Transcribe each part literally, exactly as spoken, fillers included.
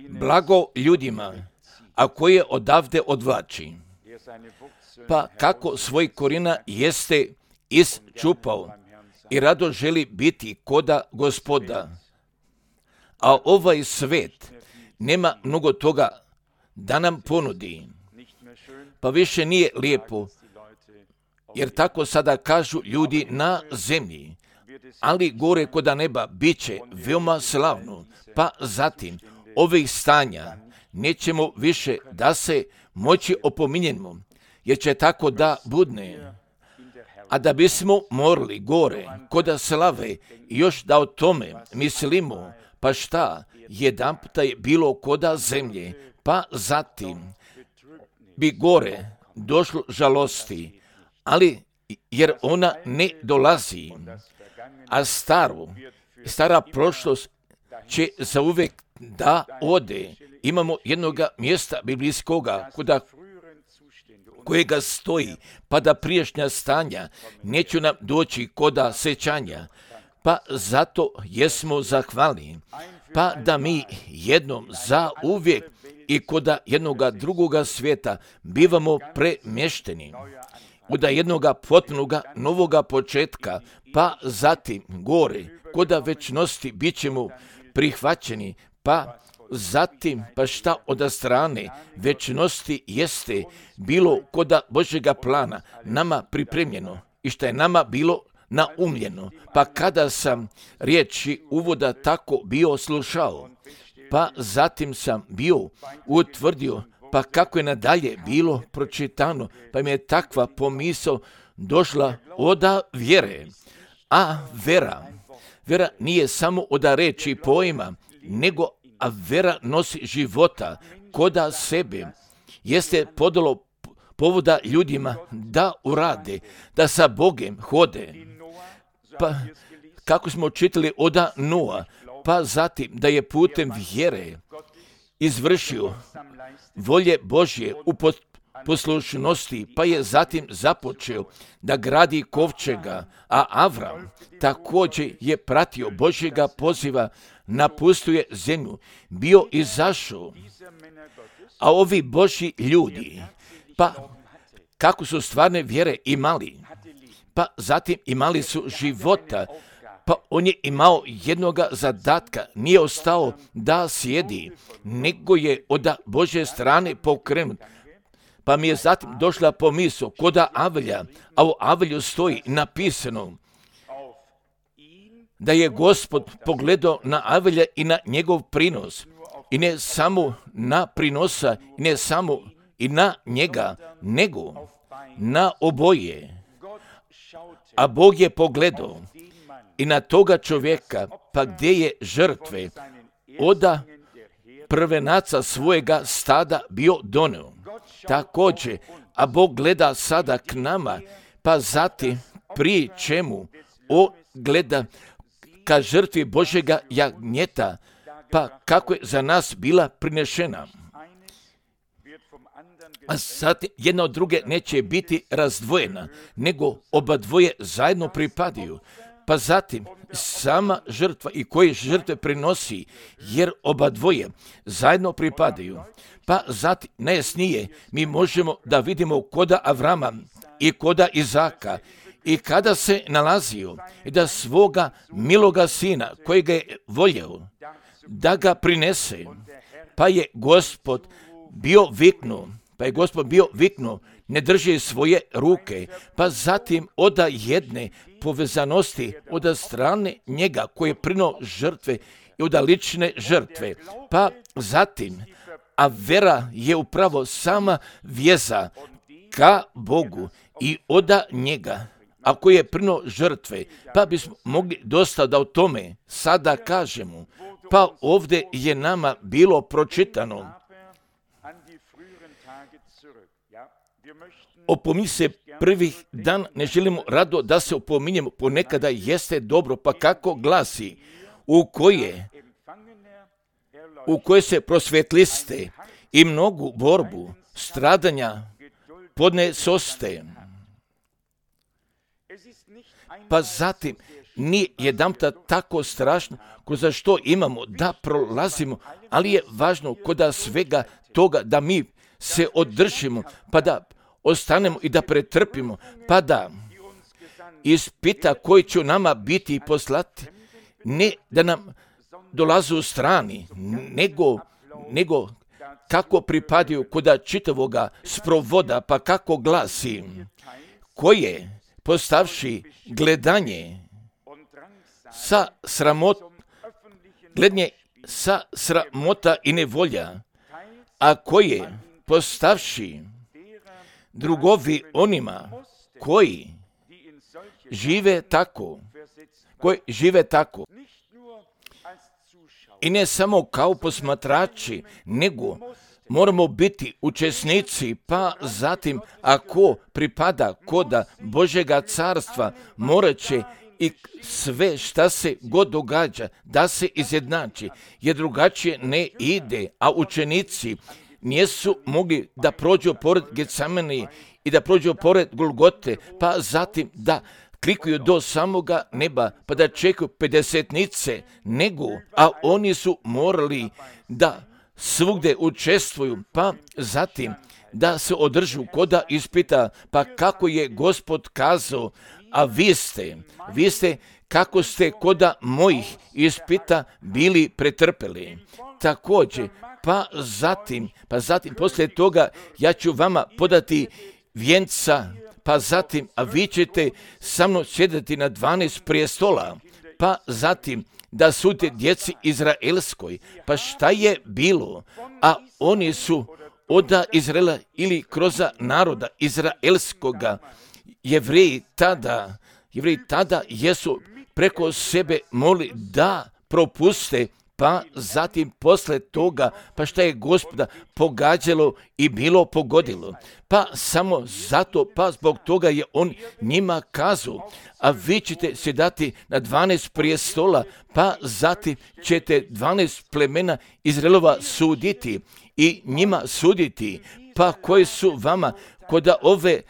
Blago ljudima, a koje odavde odvlači, pa kako svoj korina jeste isčupao i rado želi biti koda Gospoda. A ovaj svet nema mnogo toga da nam ponudi, pa više nije lijepo, jer tako sada kažu ljudi na zemlji, ali gore koda neba bit će veoma slavno, pa zatim ovih stanja nećemo više da se moći opominjemo, jer će tako da budne. A da bismo morali gore koda slave još da o tome mislimo, pa šta, jedan puta je bilo koda zemlje, pa zatim bi gore došlo žalosti, ali jer ona ne dolazi, a staru, stara prošlost će zauvek da ode. Imamo jednoga mjesta biblijskoga kuda kojega stoji, pa da prijašnja stanja neću nam doći koda sećanja, pa zato jesmo zahvalni, pa da mi jednom za uvijek i koda jednoga drugoga svijeta bivamo premješteni, koda jednoga potpunoga novoga početka, pa zatim gore, koda večnosti bit ćemo prihvaćeni, pa zatim, pa šta od strane večnosti jeste bilo koda Božjega plana nama pripremljeno i što je nama bilo naumljeno. Pa kada sam riječi uvoda tako bio slušao, pa zatim sam bio utvrdio, pa kako je nadalje bilo pročitano, pa mi je takva pomisao došla oda vjere. A vera, vera nije samo oda reči pojma, nego a vera nosi života koda sebe. Jeste podalo povoda ljudima da urade, da sa Bogem hode. Pa kako smo čitali oda Noa, pa zatim da je putem vjere izvršio volje Božje u poslušnosti, pa je zatim započeo da gradi kovčega, a Avram također je pratio Božjega poziva, napustuje zemlju, bio izašao. A ovi Božji ljudi, pa kako su stvarne vjere imali, pa zatim imali su života, pa on je imao jednoga zadatka, nije ostao da sjedi, nego je od Božje strane pokrenut. Pa mi je zatim došla pomisao koda Avelja, a u Avelju stoji napisano da je Gospod pogledao na Avelja i na njegov prinos, i ne samo na prinosa, i ne samo i na njega, nego na oboje. A Bog je pogledao i na toga čovjeka, pa gdje je žrtve oda prvenaca svojega stada bio doneo. Također, a Bog gleda sada k nama, pa zatim prije čemu on gleda ka žrtvi Božjega jagnjeta, pa kako je za nas bila prinešena. A sad jedna od druge neće biti razdvojena, nego oba dvoje zajedno pripadaju. Pa zatim sama žrtva i koje žrtve prinosi, jer oba dvoje zajedno pripadaju. Pa zatim najjasnije mi možemo da vidimo koda Avrama i koda Izaka, i kada se nalazio i da svoga miloga sina kojega je voljeo da ga prinese, pa je Gospod bio viknuo, pa je Gospod bio viknuo, ne drži svoje ruke, pa zatim oda jedne povezanosti od strane njega koji je prinuo žrtve i od lične žrtve, pa zatim, a vera je upravo sama vjeza ka Bogu i oda njega, a koji je prinuo žrtve, pa bismo mogli dosta da o tome sada kažemo. Pa ovdje je nama bilo pročitano. Opominj se prvih dan, ne želimo rado da se opominjemo, ponekada jeste dobro, pa kako glasi, u koje, u koje se prosvjetliste i mnogu borbu, stradanja podnesoste. Pa zatim nije jedanputa tako strašno ko za što imamo da prolazimo, ali je važno kod svega toga da mi se održimo, pa da ostanemo i da pretrpimo, pa da ispita koji će nama biti poslati, ne da nam dolaze u strani, nego, nego kako pripadaju kod čitavoga sprovoda, pa kako glasi, koje postavši gledanje sa sramot, gledanje sa sramota i nevolja, a koje postavši drugovi onima koji žive tako, koji žive tako, i ne samo kao posmatrači, nego moramo biti učesnici, pa zatim ako pripada koda Božjega carstva, morat će i sve šta se god događa da se izjednači, jer drugačije ne ide, a učenici nisu mogli da prođu pored Getsemani i da prođu pored Golgote, pa zatim da klikuju do samoga neba, pa da čekaju pedesetnice, nego, a oni su morali da svugde učestvuju, pa zatim da se održu koda ispita, pa kako je Gospod kazao, a vi ste, vi ste kako ste koda mojih ispita bili pretrpeli. Također, pa zatim, pa zatim poslije toga ja ću vama podati vjenca, pa zatim, a vi ćete sa mnom sjediti na dvanaest prijestola, pa zatim da sudite djeci Izraelskoj. Pa šta je bilo? A oni su od Izraela ili kroz naroda Izraelskoga, Jevreji tada, Jevreji tada jesu preko sebe molili da propuste, pa zatim posle toga, pa šta je Gospoda pogađalo i bilo pogodilo. Pa samo zato, pa zbog toga je on njima kazao, a vi ćete sjedati na dvanaest prijestola, pa zatim ćete dvanaest plemena Izraelova suditi i njima suditi, pa koji su vama kod ove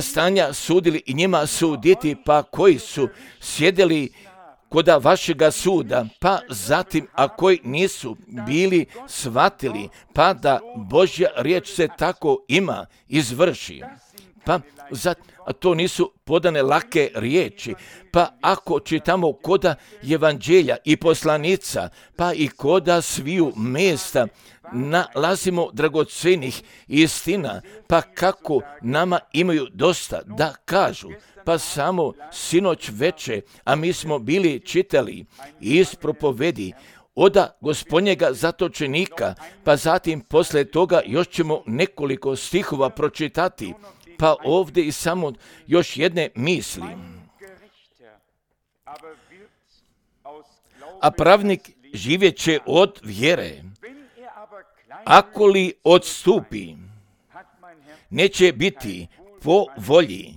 stanja sudili i njima suditi, pa koji su sjedili koda vašega suda, pa zatim, a koji nisu bili shvatili, pa da Božja riječ se tako ima izvrši. Pa zatim, a to nisu podane lake riječi, pa ako čitamo koda evanđelja i poslanica, pa i koda sviju mjesta, nalazimo dragocenih istina, pa kako nama imaju dosta da kažu. Pa samo sinoć veče, a mi smo bili čitali iz propovedi oda Gospodnjega zatočenika, pa zatim posle toga još ćemo nekoliko stihova pročitati, pa ovdje i samo još jedne misli. A pravnik živjet će od vjere, ako li odstupi, neće biti po volji,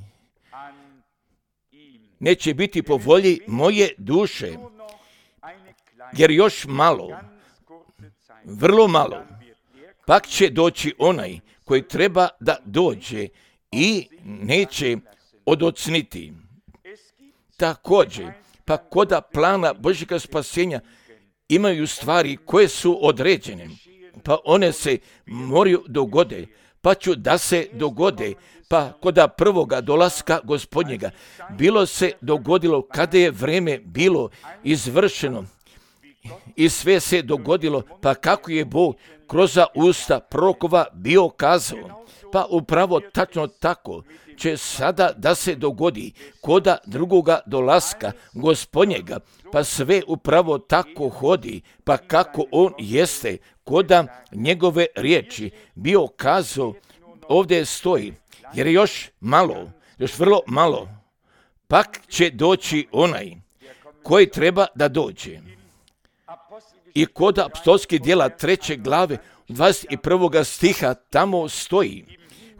neće biti po volji moje duše, jer još malo, vrlo malo, pak će doći onaj koji treba da dođe i neće odocniti. Također, pa koda plana Božjega spasenja imaju stvari koje su određene, pa one se moraju dogode, pa ću da se dogode, pa koda prvoga dolaska Gospodnjega, bilo se dogodilo kada je vreme bilo izvršeno i sve se dogodilo, pa kako je Bog kroz usta prorokova bio kazao, pa upravo tačno tako će sada da se dogodi koda drugoga dolaska Gospodnjega, pa sve upravo tako hodi, pa kako on jeste koda njegove riječi bio kazao, ovdje stoji, jer je još malo, još vrlo malo, pak će doći onaj koji treba da dođe. I kod apostolskih djela treće glave dvadeset prvog stiha tamo stoji,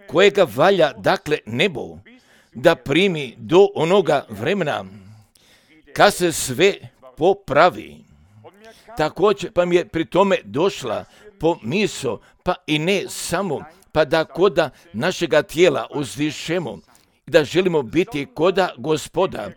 kojega valja dakle nebo da primi do onoga vremena kad se sve popravi. Također pa mi je pri tome došla pomisao, pa i ne samo, pa da koda našega tijela uzdišemo, da želimo biti koda Gospoda,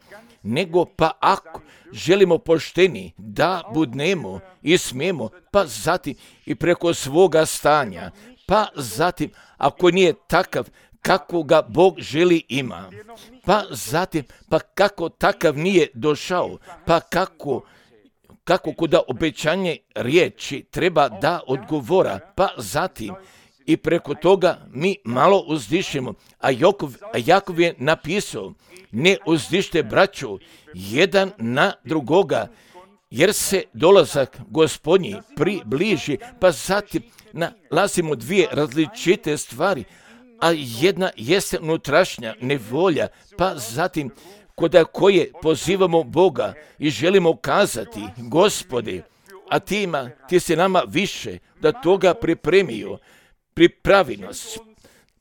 nego pa ako želimo pošteni da budnemo i smijemo, pa zatim i preko svoga stanja, pa zatim ako nije takav kako ga Bog želi ima, pa zatim pa kako takav nije došao, pa kako kako kuda obećanje riječi treba da odgovora, pa zatim i preko toga mi malo uzdišemo, a Jakov, a Jakov je napisao, ne uzdište braću jedan na drugoga, jer se dolazak Gospodnji približi, pa zatim nalazimo dvije različite stvari, a jedna jeste unutrašnja nevolja, pa zatim kod koje pozivamo Boga i želimo kazati, Gospode, a ti ima, ti si nama više da toga pripremio, pripravi nas,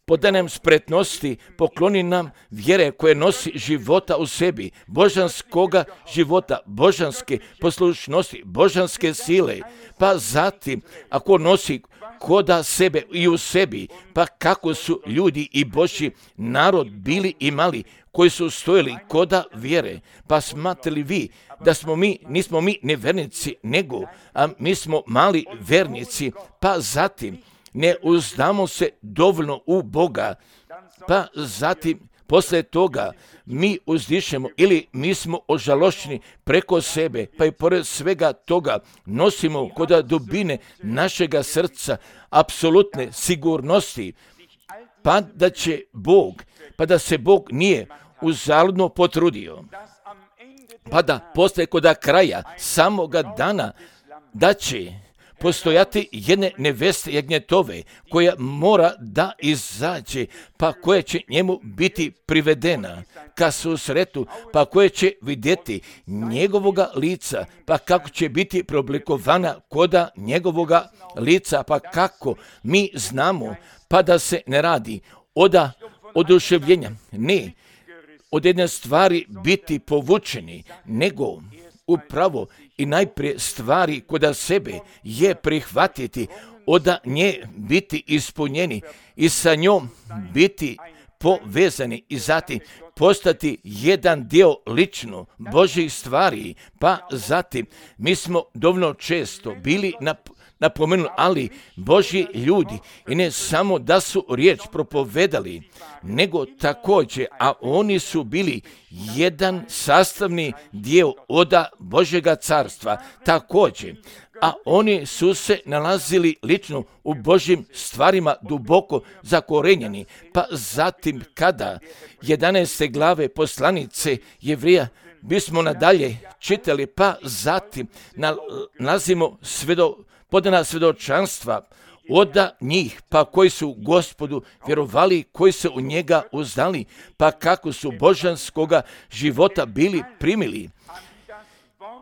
podaj nam spretnosti, pokloni nam vjere koje nosi života u sebi, božanskoga života, božanske poslušnosti, božanske sile, pa zatim ako nosi koda sebe i u sebi, pa kako su ljudi i Božji narod bili i mali, koji su stojili koda vjere, pa smatrali vi da smo mi, nismo mi nevernici, nego, a mi smo mali vernici, pa zatim ne uzdamo se dovoljno u Boga, pa zatim poslije toga mi uzdišemo ili mi smo ožalošćeni preko sebe, pa i pored svega toga nosimo kod dubine našega srca apsolutne sigurnosti, pa da će Bog, pa da se Bog nije uzaludno potrudio, pa da poslije kod kraja samoga dana da će postojati jedne neveste jagnjetove koja mora da izađe, pa koja će njemu biti privedena ka susretu, pa koja će vidjeti njegovoga lica, pa kako će biti preoblikovana koda njegovoga lica, pa kako mi znamo, pa da se ne radi od oduševljenja, ne od jedne stvari biti povučeni, nego upravo i najprije stvari koda sebe je prihvatiti, od nje biti ispunjeni i sa njom biti povezani i zatim postati jedan dio lično Božjih stvari, pa zatim mi smo dovoljno često bili na napomenuli, ali Božji ljudi i ne samo da su riječ propovedali, nego također, a oni su bili jedan sastavni dio oda Božjega carstva, također, a oni su se nalazili lično u Božjim stvarima duboko zakorenjeni, pa zatim kada jedanaeste glave poslanice Jevrija bismo nadalje čitali, pa zatim nalazimo svedo podana svjedočanstva od njih, pa koji su Gospodu vjerovali, koji se u njega uzdali, pa kako su božanskoga života bili primili.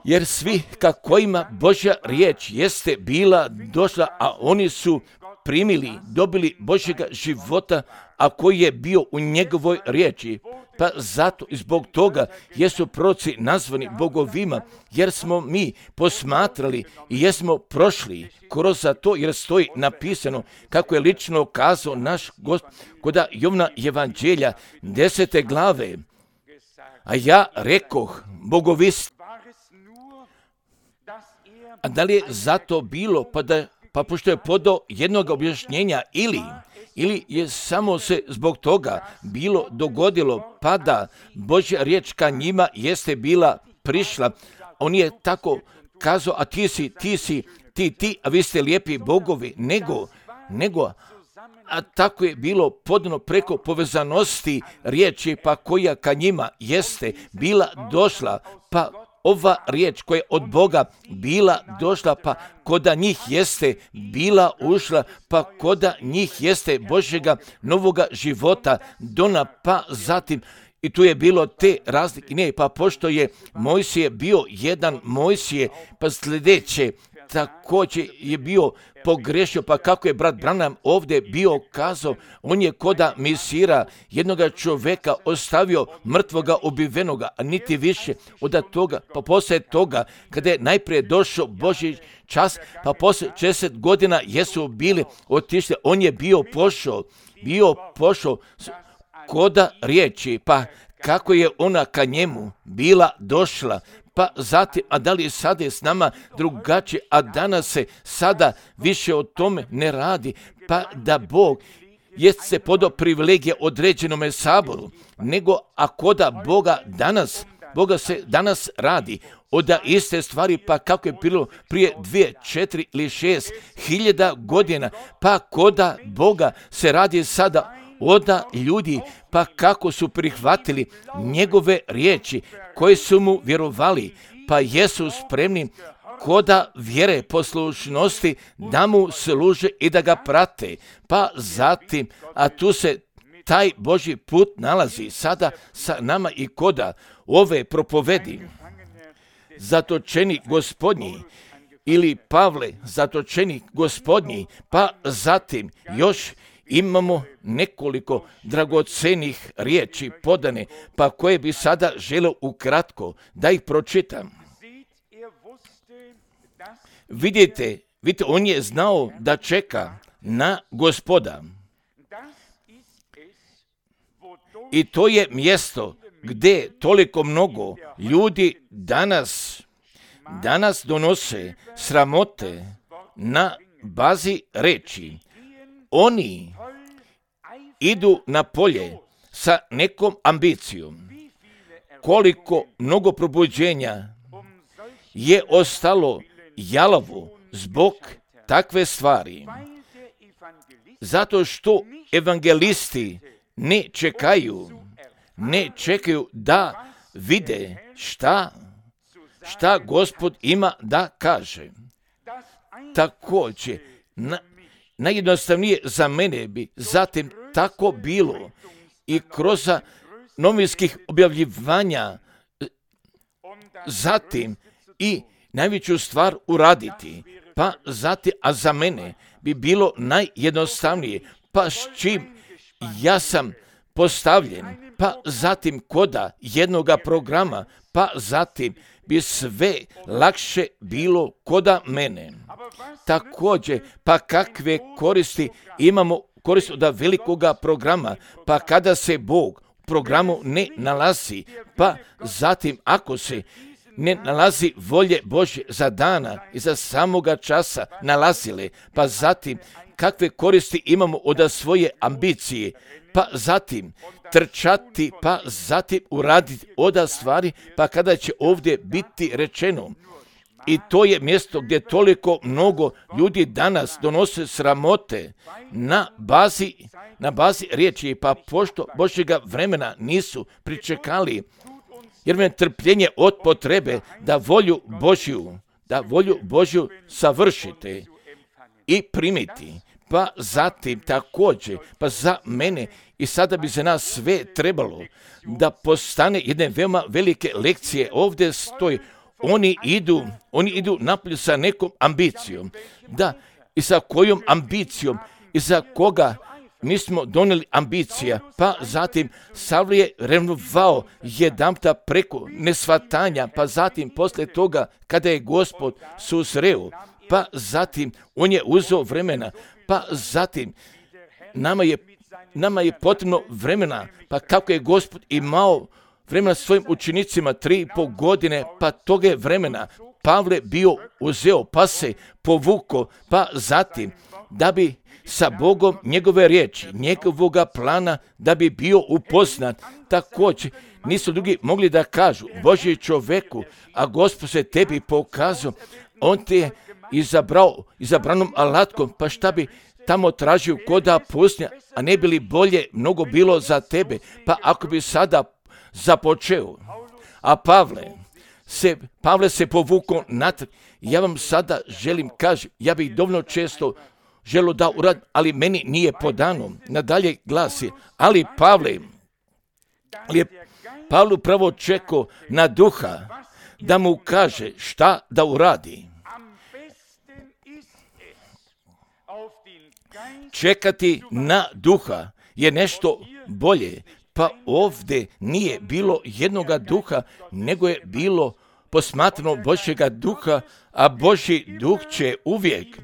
Jer svi kako ima Božja riječ jeste bila došla, a oni su primili, dobili Božjega života, a koji je bio u njegovoj riječi. Pa zato i zbog toga jesu proroci nazvani bogovima, jer smo mi posmatrali i jesmo prošli kroz to, jer stoji napisano kako je lično kazao naš Gospod kod Jovana evanđelja desete glave. A ja rekoh, bogovi, a da li je zato bilo, pa, da, pa pošto je podao jednog objašnjenja ili... Ili je samo se zbog toga bilo dogodilo, pa da Božja riječ ka njima jeste bila prišla. On je tako kazao, a ti si, ti si, ti, ti, a vi ste lijepi bogovi, nego, nego, a tako je bilo podano preko povezanosti riječi, pa koja ka njima jeste bila došla, pa ova riječ koja je od Boga bila došla, pa koda njih jeste bila ušla, pa koda njih jeste Božjega novoga života dona, pa zatim i tu je bilo te razlike, ne, pa pošto je Mojsije bio jedan Mojsije, pa sljedeće, također je bio pogrešio, pa kako je brat Branham ovdje bio kazao, on je koda misira jednoga čovjeka ostavio mrtvoga ubivenoga, a niti više od toga, pa poslije toga, kada je najprije došao Božji čas, pa poslije šezdeset godina jesu bili otišli, on je bio pošao, bio pošao koda riječi, pa kako je ona ka njemu bila došla, pa zatim, a da li je sada je s nama drugačije, a danas se sada više o tome ne radi, pa da Bog jest se podao privilegije određenome saboru, nego ako da Boga danas, Boga se danas radi oda iste stvari, pa kako je bilo prije dvije, četiri ili šest hiljada godina, pa koda Boga se radi sada oda ljudi, pa kako su prihvatili njegove riječi koje su mu vjerovali, pa jesu spremni koda vjere poslušnosti da mu služe i da ga prate. Pa zatim, a tu se taj Božji put nalazi sada sa nama i koda ove propovedi. Zatočeni Gospodnji ili Pavle, zatočeni Gospodnji, pa zatim još imamo nekoliko dragocenih riječi podane, pa koje bi sada želio ukratko da ih pročitam. Vidite, vidite, on je znao da čeka na Gospoda. I to je mjesto gdje toliko mnogo ljudi danas, danas donose sramote na bazi reči. Oni idu na polje sa nekom ambicijom. Koliko mnogo probuđenja je ostalo jalovo zbog takve stvari. Zato što evangelisti ne čekaju, ne čekaju da vide šta, šta Gospod ima da kaže. Također, na, najjednostavnije za mene bi zatim tako bilo i kroz novinskih objavljivanja, zatim i najveću stvar uraditi, pa zatim, a za mene bi bilo najjednostavnije, pa s čim ja sam postavljen, pa zatim koda jednoga programa, pa zatim bi sve lakše bilo koda mene. Također, pa kakve koristi imamo koristi od velikoga programa, pa kada se Bog u programu ne nalazi, pa zatim ako se ne nalazi volje Božje za dana i za samoga časa nalazile, pa zatim kakve koristi imamo od svoje ambicije, pa zatim trčati, pa zatim uraditi oda stvari, pa kada će ovdje biti rečeno. I to je mjesto gdje toliko mnogo ljudi danas donose sramote na bazi, na bazi riječi, pa pošto Božjega vremena nisu pričekali, jer me trpljenje od potrebe da volju Božju, da volju Božju savršite i primiti. Pa zatim također, pa za mene i sada bi za nas sve trebalo da postane jedne veoma velike lekcije. Ovdje stoji, oni idu, oni idu napolje sa nekom ambicijom. Da, i sa kojom ambicijom i za koga mi smo donijeli ambicija, pa zatim Savle je revnovao jedanputa preko nesvatanja, pa zatim poslije toga kada je Gospod susreo, pa zatim on je uzeo vremena, pa zatim nama je, nama je potrebno vremena, pa kako je Gospod imao vremena svojim učenicima tri i pol godine, pa toga je vremena Pavle bio uzeo, pa se povuko, pa zatim da bi sa Bogom njegove riječi, njegovoga plana, da bi bio upoznat. Također nisu drugi mogli da kažu Božji čoveku, a Gospod se tebi pokazao, on te je izabrao izabranom alatkom, pa šta bi tamo tražio koda pustinja, a ne bi li bolje mnogo bilo za tebe, pa ako bi sada započeo. A Pavle se, Pavle se povukao natrag. Ja vam sada želim kažem, ja bih dovoljno često želio da uradim, ali meni nije podano. Nadalje glasi, ali Pavle, ali je Pavle upravo čekao na duha da mu kaže šta da uradi. Čekati na duha je nešto bolje, pa ovdje nije bilo jednoga duha, nego je bilo posmatrano Božjega duha, a Božji duh će uvijek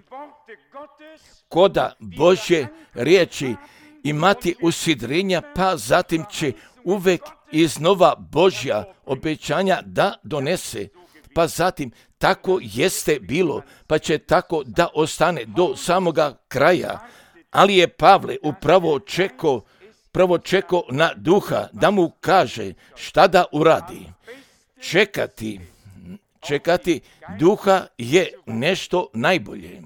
koda Božje riječi imati usidrenja, pa zatim će uvijek iznova Božja obećanja da donese. Pa zatim tako jeste bilo, pa će tako da ostane do samoga kraja. Ali je Pavle upravo čekao, prvo čekao na duha da mu kaže šta da uradi. Čekati, čekati duha je nešto najbolje.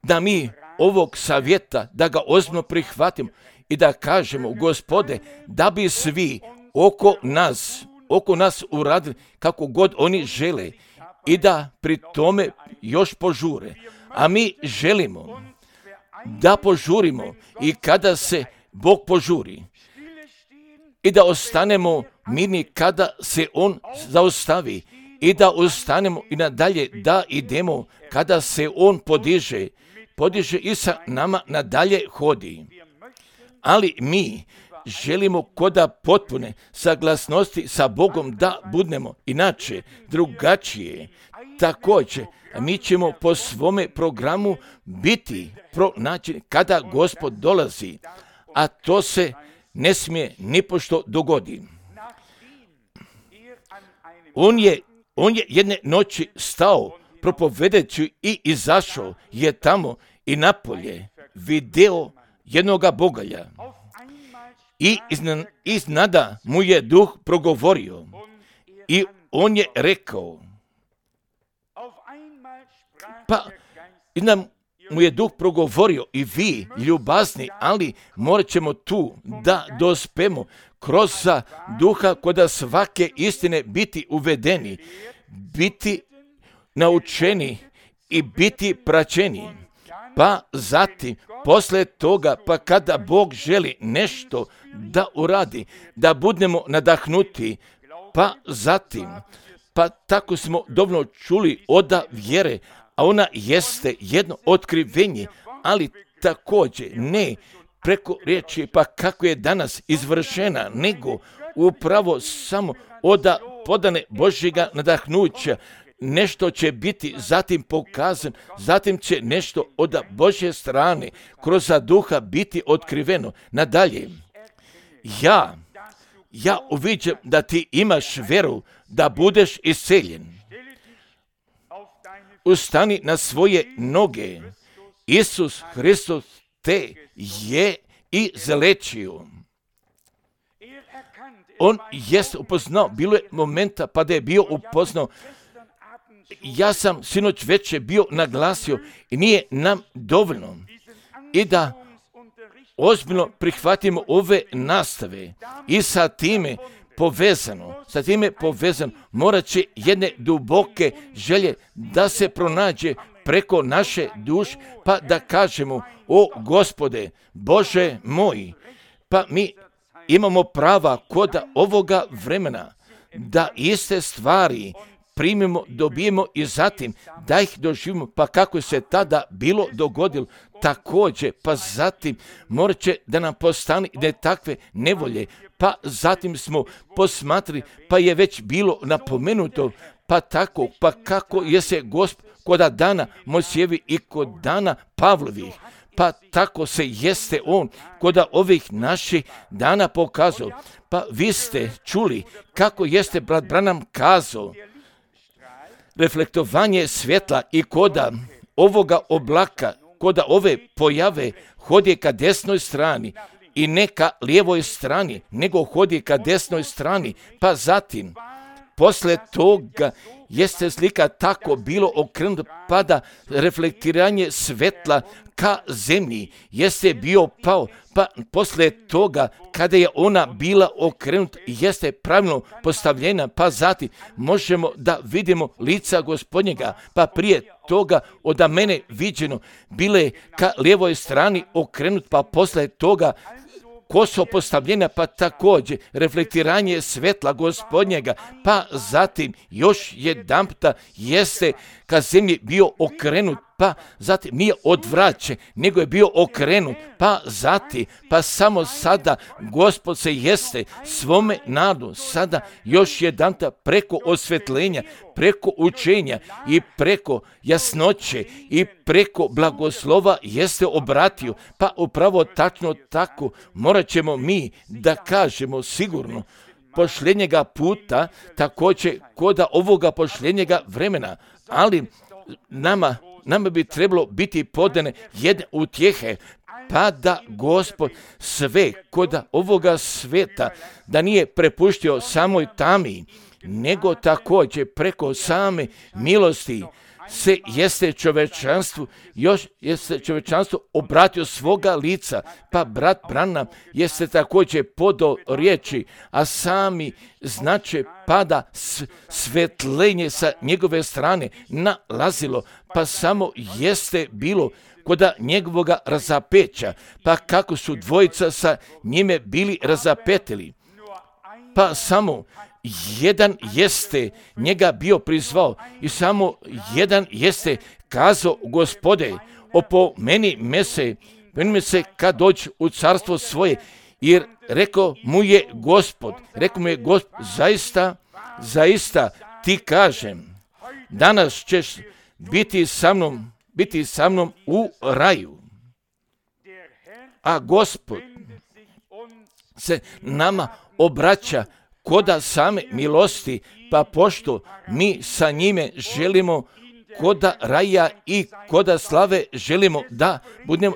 Da mi ovog savjeta, da ga ozbiljno prihvatimo i da kažemo, Gospode, da bi svi oko nas, oko nas uradili kako god oni žele i da pri tome još požure. A mi želimo da požurimo i kada se Bog požuri i da ostanemo mirni kada se On zaustavi i da ostanemo i nadalje da idemo kada se On podiže, podiže i sa nama nadalje hodi. Ali mi želimo koda potpune saglasnosti sa Bogom da budemo inače, drugačije. Također, mi ćemo po svome programu biti pronađeni kada Gospod dolazi, a to se ne smije nipošto dogodi. On je, on je jedne noći stao propovedeći i izašao je tamo i napolje video jednoga bogalja. I iznada mu je duh progovorio i on je rekao, pa iznad mu je duh progovorio i vi ljubazni, ali morat ćemo tu da dospemo kroz duha koda svake istine biti uvedeni, biti naučeni i biti praćeni. Pa zatim, posle toga, pa kada Bog želi nešto da uradi, da budemo nadahnuti, pa zatim, pa tako smo dovoljno čuli oda vjere, a ona jeste jedno otkrivenje, ali također ne preko riječi, pa kako je danas izvršena, nego upravo samo oda podane Božjega nadahnuća. Nešto će biti zatim pokazan, zatim će nešto od Božje strane kroz duha biti otkriveno. Nadalje, ja, ja uviđam da ti imaš vjeru da budeš isceljen. Ustani na svoje noge. Isus Hristos te je izlečio. On jest upoznao, bilo je momenta pa da je bio upoznao. Ja sam sinoć večer bio naglasio i nije nam dovoljno i da ozbiljno prihvatimo ove nastave i sa time povezano, sa time povezano morat će jedne duboke želje da se pronađe preko naše duše, pa da kažemo, o Gospode, Bože moj, pa mi imamo prava kod ovoga vremena da iste stvari primimo, dobijemo i zatim da ih doživimo, pa kako se tada bilo dogodilo, također, pa zatim morat će da nam postane ne takve nevolje, pa zatim smo posmatrali, pa je već bilo napomenuto, pa tako, pa kako je se Gospod kod dana Mojsijevi i kod dana Pavlovih, pa tako se jeste on kod ovih naših dana pokazao. Pa vi ste čuli kako jeste brat Branham kazao, reflektovanje svjetla i koda ovoga oblaka, koda ove pojave hodi ka desnoj strani i ne ka lijevoj strani, nego hodi ka desnoj strani, pa zatim posle toga jeste slika tako bilo okrenuto, pa da reflektiranje svetla ka zemlji jeste bio pao, pa posle toga kada je ona bila okrenuta jeste pravilno postavljena, pa zatim možemo da vidimo lica Gospodnjega, pa prije toga od mene viđeno bile ka lijevoj strani okrenut, pa posle toga koso postavljena, pa također reflektiranje svetla Gospodnjega, pa zatim još jedanputa jeste ka zemlji bio okrenut, pa zatim nije odvraćen, nego je bio okrenut, pa zatim, pa samo sada Gospod se jeste svome nadu, sada još jedanta preko osvetljenja, preko učenja i preko jasnoće i preko blagoslova jeste obratio, pa upravo tačno tako morat ćemo mi da kažemo sigurno pošljenjega puta, također koda ovoga pošljenjega vremena, ali nama, nama bi trebalo biti podane jedne utjehe, pa da Gospod sve koda ovoga sveta, da nije prepuštio samoj tami, nego također preko same milosti se jeste čovečanstvu, još jeste čovečanstvu obratio svoga lica, pa brat Branham jeste također podo riječi, a sami znače pada svetlenje sa njegove strane nalazilo, pa samo jeste bilo koda njegovoga razapeća, pa kako su dvojica sa njime bili razapetili, pa samo jedan jeste njega bio prizvao i samo jedan jeste kazao, Gospode, opo meni me se, meni me se kad dođe u carstvo svoje, jer rekao mu je Gospod, rekao mu je Gospod, zaista, zaista ti kažem, danas ćeš biti sa mnom, biti sa mnom u raju. A Gospod se nama obraća koda same milosti, pa pošto mi sa njime želimo koda raja i koda slave želimo da budemo,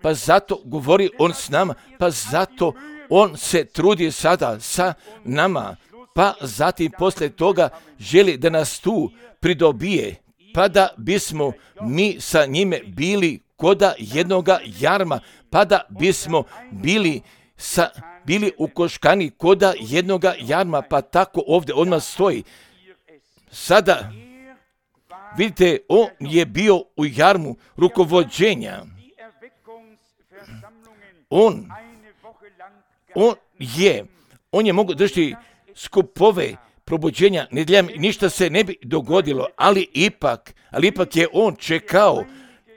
pa zato govori on s nama, pa zato on se trudi sada sa nama, pa zatim poslije toga želi da nas tu pridobije, pa da bismo mi sa njime bili koda jednoga jarma, pa da bismo bili sa bili ukoškani koda jednoga jarma, pa tako ovdje odmah stoji. Sada, vidite, on je bio u jarmu rukovođenja. On, on je, on je mogao držati skupove probuđenja nedjeljama, ništa se ne bi dogodilo, ali ipak, ali ipak je on čekao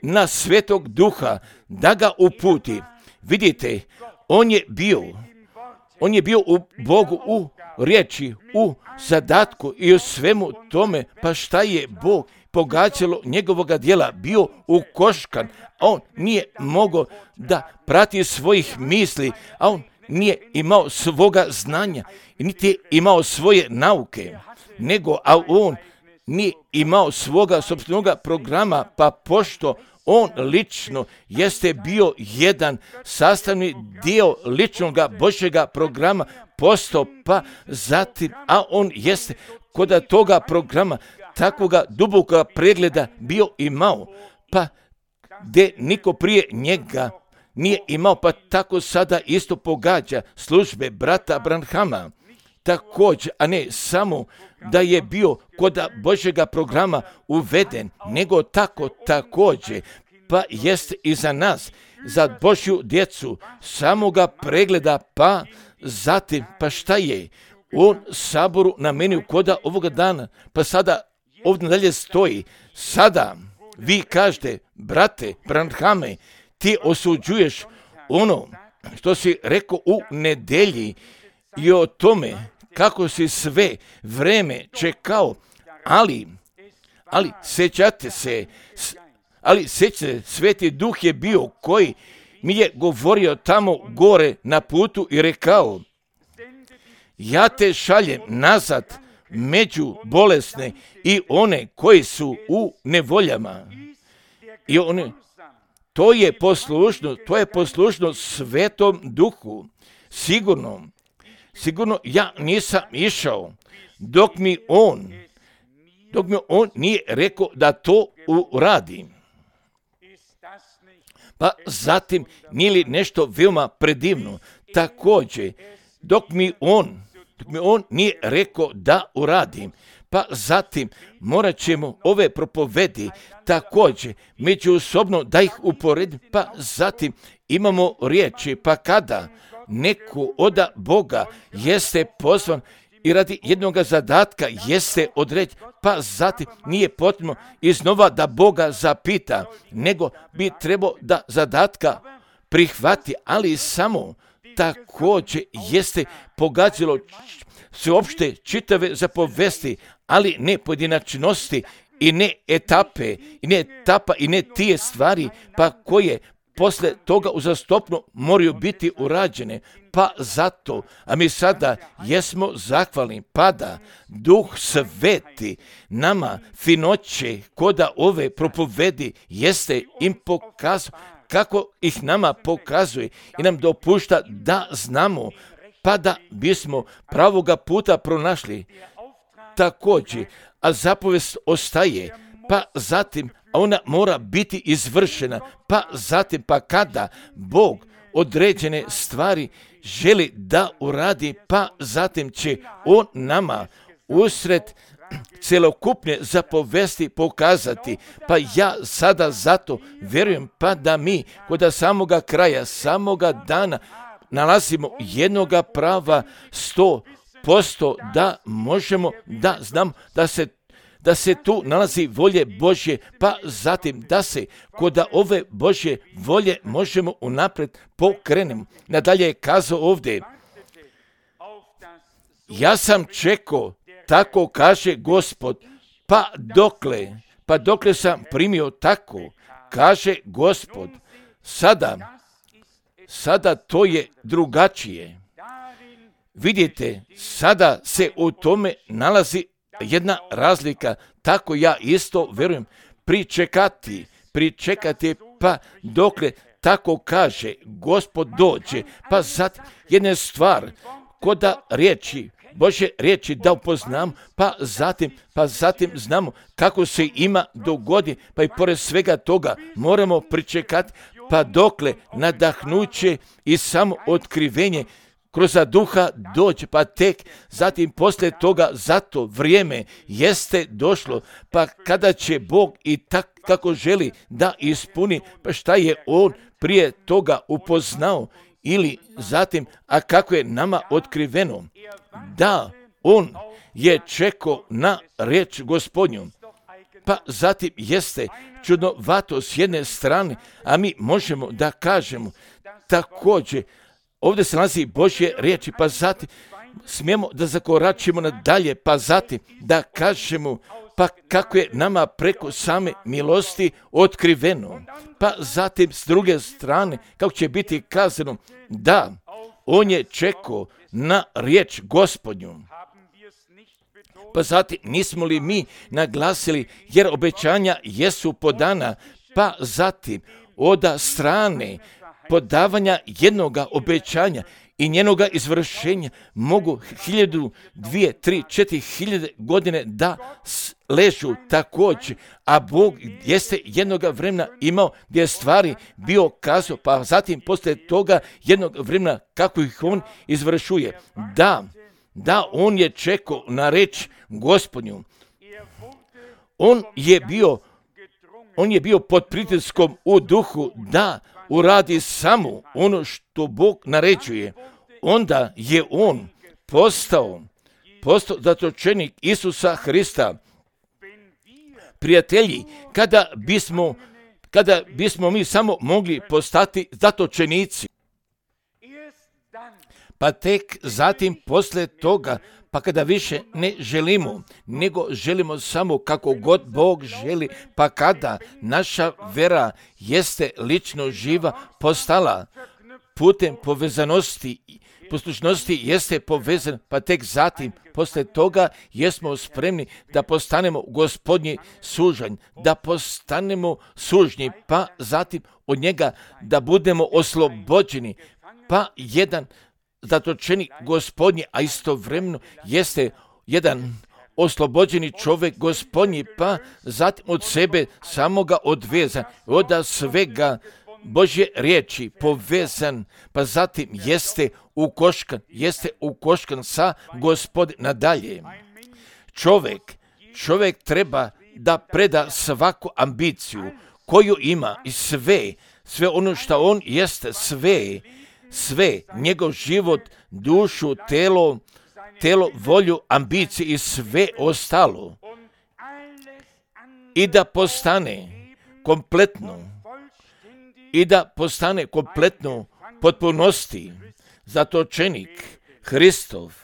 na Svetog Duha da ga uputi. Vidite, on je bio On je bio u Bogu, u riječi, u zadatku i u svemu tome, pa šta je Bog pogađalo njegovoga djela, bio ukoškan, a on nije mogao da prati svojih misli, a on nije imao svoga znanja, niti je imao svoje nauke, nego, a on nije imao svoga sopstvenoga programa, pa pošto on lično jeste bio jedan sastavni dio ličnoga Božjega programa postao, pa zatim, a on jeste kod toga programa takvoga dubokoga pregleda bio imao, pa gdje niko prije njega nije imao, pa tako sada isto pogađa službe brata Branhama. Također, a ne samo da je bio kod Božjega programa uveden, nego tako također, pa jest i za nas, za Božju djecu, samoga pregleda, pa zatim, pa šta je? On saboru namenio koda ovoga dana, pa sada ovdje dalje stoji, sada vi kažete, brate Branhame, ti osuđuješ ono što si rekao u nedjelji i o tome kako si sve vreme čekao, ali, ali sjećate se, ali sjećate, Sveti Duh je bio koji mi je govorio tamo gore na putu i rekao, ja te šaljem nazad među bolesne i one koji su u nevoljama. I one, to je poslušno, to je poslušno Svetom Duhu. Sigurno, sigurno ja nisam išao dok mi on, dok mi on nije rekao da to uradim. Pa zatim nije li nešto veoma predivno, također, dok mi on, dok mi on nije rekao da uradim, pa zatim morat ćemo ove propovedi također međusobno da ih uporedim, pa zatim imamo riječi, pa kada neko od Boga jeste pozvan i radi jednog zadatka jeste odreći, pa zatim nije potrebno iznova da Boga zapita, nego bi trebao da zadatka prihvati, ali samo također jeste pogađalo sveopšte čitave zapovesti, ali ne pojedinačnosti i ne etape, i ne etapa, i ne tije stvari, pa koje posle toga uzastopno moraju biti urađene. Pa zato, a mi sada jesmo zahvalni, pada Duh Sveti nama finoće koda ove propovedi jeste im pokazao, kako ih nama pokazuje i nam dopušta da znamo, pa da bismo pravoga puta pronašli. Također, a zapovest ostaje, pa zatim ona mora biti izvršena, pa zatim, pa kada Bog određene stvari želi da uradi, pa zatim će On nama usred celokupne zapovesti pokazati. Pa ja sada zato vjerujem, pa da mi kod samoga kraja, samoga dana nalazimo jednoga prava sto posto da možemo da znam da se da se tu nalazi volje Božje, pa zatim da se kod ove Božje volje možemo unaprijed pokrenemo. Nadalje je kazao ovdje, ja sam čekao, tako kaže Gospod, pa dokle, pa dokle sam primio tako, kaže Gospod. Sada, sada to je drugačije. Vidite, sada se u tome nalazi jedna razlika, tako ja isto vjerujem, pričekati, pričekati, pa dokle tako kaže Gospod dođe, pa zatim jedna stvar, koda riječi, Božje riječi da upoznam, pa zatim, pa zatim znamo kako se ima dogodi, pa i pored svega toga moramo pričekati, pa dokle nadahnuće i samo otkrivenje kroz duha doći, pa tek zatim poslije toga zato vrijeme jeste došlo, pa kada će Bog i tak kako želi da ispuni, pa šta je On prije toga upoznao ili zatim, a kako je nama otkriveno, da On je čekao na riječ Gospodnju. Pa zatim jeste čudnovato s jedne strane, a mi možemo da kažemo također, ovdje se nalazi Božje riječi, pa zatim smijemo da zakoračimo nadalje, pa zatim da kažemo, pa kako je nama preko same milosti otkriveno. Pa zatim s druge strane, kako će biti kazano, da, On je čekao na riječ Gospodnju. Pa zatim nismo li mi naglasili, jer obećanja jesu podana, pa zatim od strane podavanja jednoga obećanja i njenoga izvršenja mogu hiljadu, dvije, tri, četiri hiljade godine da ležu također, a Bog jeste jednoga vremena imao gdje je stvari bio kazao, pa zatim poslije toga jednog vremena kako ih On izvršuje. Da, da, On je čekao na reč Gospodnju. On je bio, on je bio pod pritiskom u duhu da uradi samo ono što Bog naređuje. Onda je On postao, postao zatočenik Isusa Hrista. Prijatelji, kada bismo, kada bismo mi samo mogli postati zatočenici, pa tek zatim poslije toga, pa kada više ne želimo, nego želimo samo kako god Bog želi, pa kada naša vera jeste lično živa postala putem povezanosti, poslušnosti jeste povezan, pa tek zatim poslije toga jesmo spremni da postanemo Gospodnji sužanj, da postanemo sužnji, pa zatim od njega da budemo oslobođeni, pa jedan zatočenik Gospodnji, a istovremeno jeste jedan oslobođeni čovjek Gospodnji, pa zatim od sebe samoga odvezan, od svega Božje riječi povezan, pa zatim jeste ukoškan, jeste ukoškan sa Gospodinom nadalje. Čovjek, čovjek treba da preda svaku ambiciju koju ima i sve, sve ono što on jeste, sve, sve, njegov život, dušu, telo, telo, volju, ambicije i sve ostalo. I da postane kompletno, i da postane kompletno potpunosti zatočenik Hristov,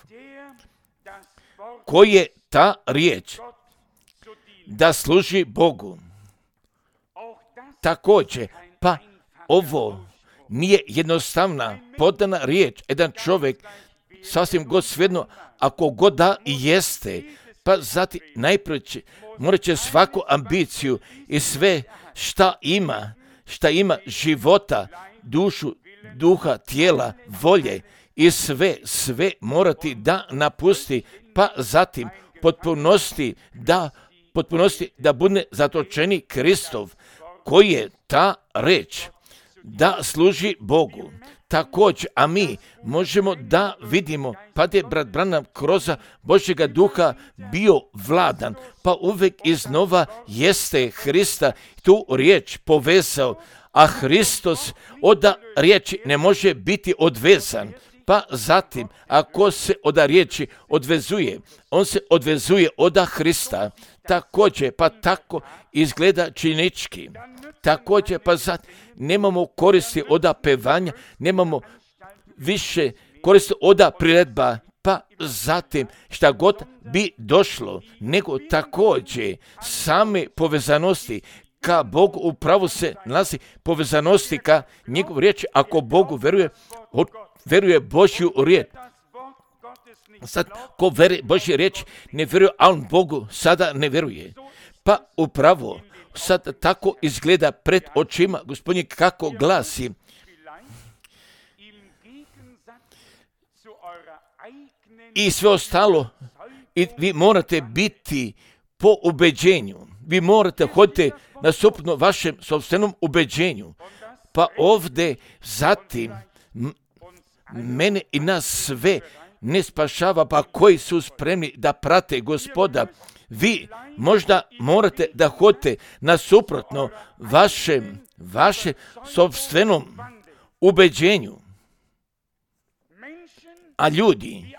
koji je ta riječ da služi Bogu. Također, pa ovo nije jednostavna podana riječ. Jedan čovjek, sasvim god svejedno, ako god da i jeste, pa zatim najprije će, morat će svaku ambiciju i sve šta ima, šta ima života, dušu, duha, tijela, volje i sve, sve morati da napusti, pa zatim potpunosti da, potpunosti da bude zatočeni Kristov, koji je ta reč da služi Bogu. Također, a mi možemo da vidimo, pa je brat Branham kroz Božjega duha bio vladan, pa uvijek iznova jeste Hrista tu riječ povezao, a Hristos od riječi ne može biti odvezan. Pa zatim, ako se od riječi odvezuje, on se odvezuje od Hrista. Također, pa tako izgleda činički. Također, pa zatim, nemamo koristi od pevanja, nemamo više koristi od priredba, pa zatim šta god bi došlo, nego također same povezanosti ka Bogu upravo se nalazi povezanosti ka njegov riječi. Ako Bogu veruje, veruje Božju riječ. Sad, ko veruje Božju riječ, ne veruje, a on Bogu sada ne veruje. Pa upravo sad tako izgleda pred očima Gospodnje kako glasi. I sve ostalo, i vi morate biti po ubeđenju. Vi morate hoditi nasuprotno vašem sopstvenom ubeđenju. Pa ovdje zatim mene i nas sve ne spašava, pa koji su spremni da prate Gospoda. Vi možda morate da hodite nasuprotno vašem, vašem sopstvenom ubeđenju. A ljudi,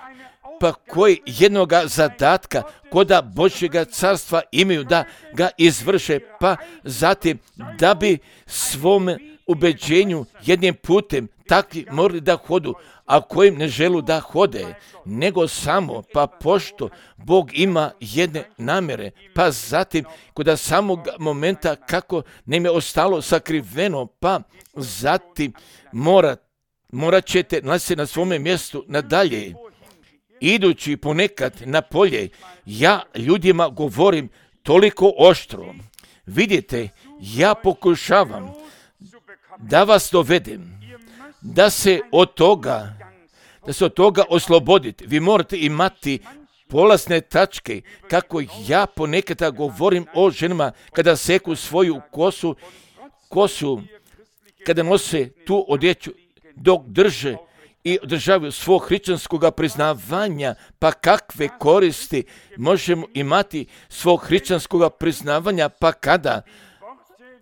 pa koji jednoga zadatka koda Božjega carstva imaju da ga izvrše, pa zatim da bi svom ubeđenju jednim putem takvi morali da hodu, a kojim ne želu da hode, nego samo, pa pošto Bog ima jedne namjere, pa zatim kod samog momenta kako nam je ostalo sakriveno, pa zatim mora, morat ćete nalaziti na svome mjestu nadalje. Idući ponekad na polje, ja ljudima govorim toliko oštro. Vidite, ja pokušavam da vas dovedem, da se od toga, da se od toga oslobodite. Vi morate imati polazne tačke, kako ja ponekad govorim o ženama kada seku svoju kosu, kosu, kada nose tu odjeću, dok drže i održavaju svog hrišćanskog priznavanja, pa kakve koristi možemo imati svog hrišćanskog priznavanja, pa kada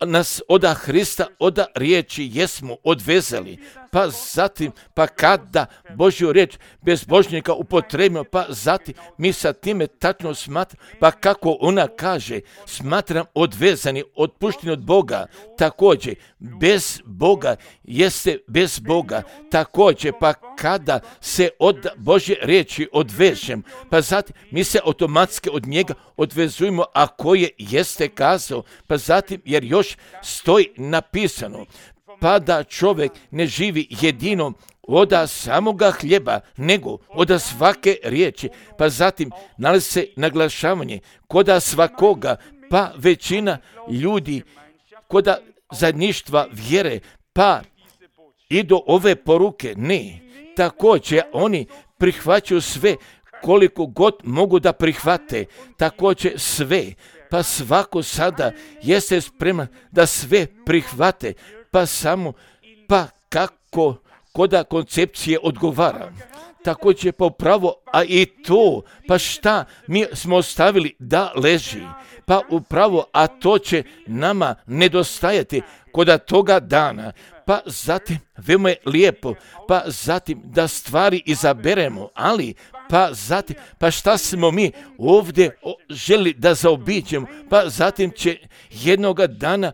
nas od Hrista, od riječi jesmo odvezali, pa zatim, pa kada Božju riječ bezbožnika upotrebimo, pa zatim mi sa time tačno smatramo, pa kako ona kaže, smatram odvezani, otpušteni od Boga, također, bez Boga jeste bez Boga, također, pa kada se od Božje riječi odvežem, pa zatim mi se automatski od njega odvezujemo, a koje jeste kazao, pa zatim, jer još stoji napisano, pa da čovjek ne živi jedino od samoga hljeba, nego od svake riječi, pa zatim nalazi se naglašavanje koda svakoga, pa većina ljudi koda zajedništva vjere, pa i do ove poruke ne. Također oni prihvaćaju sve koliko god mogu da prihvate, također sve, pa svako sada jeste spreman da sve prihvate, pa samo, pa kako koda koncepcije odgovara. Također pa upravo, a i to, pa šta mi smo ostavili da leži, pa upravo, a to će nama nedostajati koda toga dana, pa zatim, veoma je lijepo, pa zatim da stvari izaberemo, ali pa zatim, pa šta smo mi ovdje želi da zaobiđemo, pa zatim će jednoga dana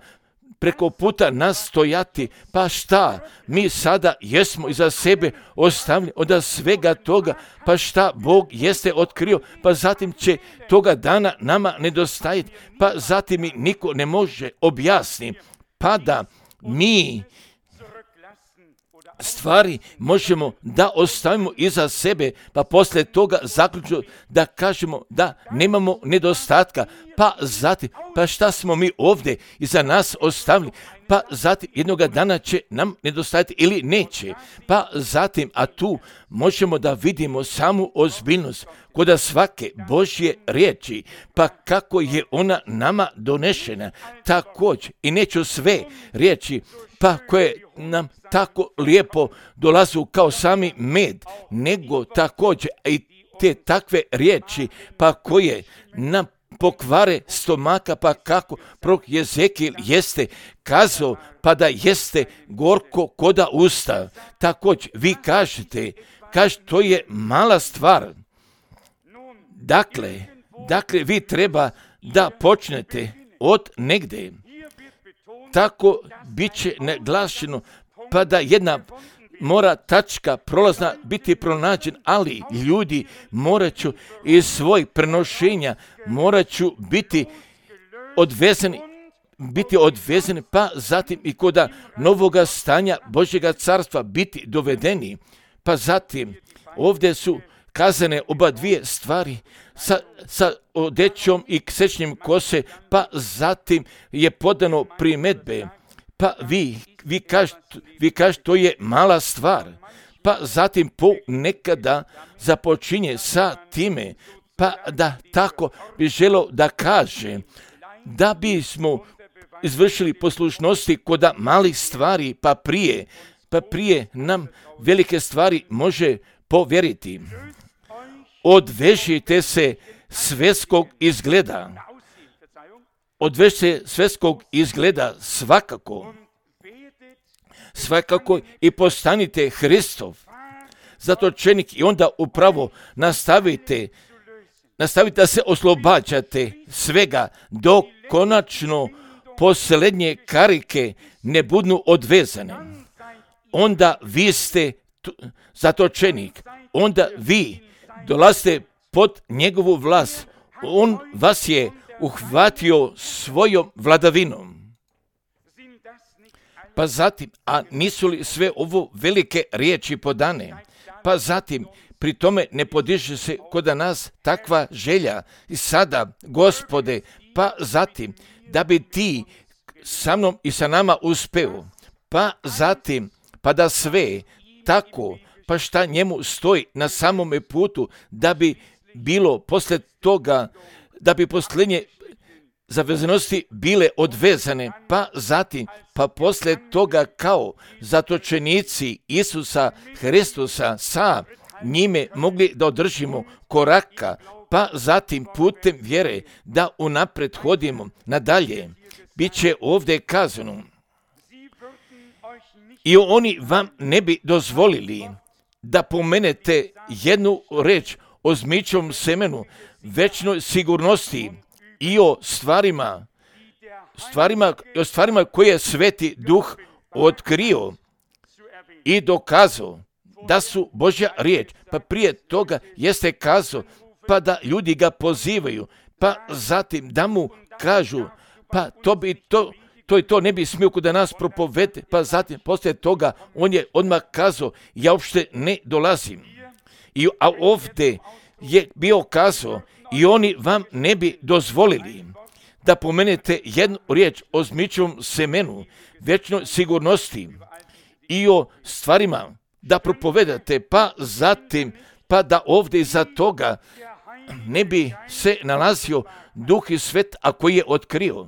preko puta nas stojati, pa šta, mi sada jesmo iza sebe ostavili od svega toga, pa šta Bog jeste otkrio, pa zatim će toga dana nama nedostajati, pa zatim mi niko ne može objasniti, pa da mi stvari možemo da ostavimo iza sebe, pa poslije toga zaključno da kažemo da nemamo nedostatka, pa zatim, pa šta smo mi ovdje iza nas ostavili, pa zatim jednoga dana će nam nedostajati ili neće, pa zatim, a tu možemo da vidimo samu ozbiljnost kod svake Božje riječi, pa kako je ona nama donešena, također, i neću sve riječi, pa koje nam tako lijepo dolazu kao sami med, nego također i te takve riječi, pa koje nam pokvare stomaka, pa kako prorok Jezekijel jeste kazao, pa da jeste gorko koda usta. Također, vi kažete, kaže, to je mala stvar. Dakle, dakle, vi treba da počnete od negde. Tako bit će naglašeno, pa da jedna mora tačka prolazna biti pronađen, ali ljudi morat ću iz svojih prenošenja, morat ću biti odvezani, biti odvezani, pa zatim i kod novoga stanja Božjega carstva biti dovedeni, pa zatim ovdje su kazane oba dvije stvari sa, sa odećom i sečnjem kose, pa zatim je podano primedbe, pa vi, vi kažete, vi kažete to je mala stvar, pa zatim ponekada započinje sa time, pa da tako bi želio da kaže, da bismo izvršili poslušnosti kod malih stvari, pa prije, pa prije nam velike stvari može povjeriti. Odvežite se svjetskog izgleda. Odvežite se svjetskog izgleda svakako. Svakako i postanite Hristov zatočenik i onda upravo nastavite, nastavite da se oslobađate svega dok konačno posljednje karike ne budu odvezane. Onda vi ste zatočenik, onda vi dolazite pod njegovu vlast. On vas je uhvatio svojom vladavinom. Pa zatim, a nisu li sve ovo velike riječi podane? Pa zatim, pri tome ne podiže se kod nas takva želja i sada, Gospode, pa zatim, da bi ti sa mnom i sa nama uspeo, pa zatim, pa da sve tako, pa šta njemu stoji na samome putu, da bi bilo posle toga, da bi posljednje zavezanosti bile odvezane, pa zatim, pa posle toga kao zatočenici Isusa Hristusa sa njime mogli da održimo koraka, pa zatim putem vjere da unapred hodimo nadalje. Biće ovdje kazano, i oni vam ne bi dozvolili da pomenete jednu reč o zmičom semenu, večnoj sigurnosti i o stvarima, stvarima, o stvarima koje je Sveti Duh otkrio i dokazao da su Božja riječ, pa prije toga jeste kazao, pa da ljudi ga pozivaju, pa zatim da mu kažu, pa to bi to, to i to ne bi smio kod nas propovede, pa zatim poslije toga on je odmah kazao, ja uopšte ne dolazim. I, a ovdje je bio kazao, i oni vam ne bi dozvolili da pomenete jednu riječ o zmičevom semenu, večnoj sigurnosti i o stvarima da propovedate, pa zatim, pa da ovdje iza toga ne bi se nalazio Duh i Svet, a koji je otkrio.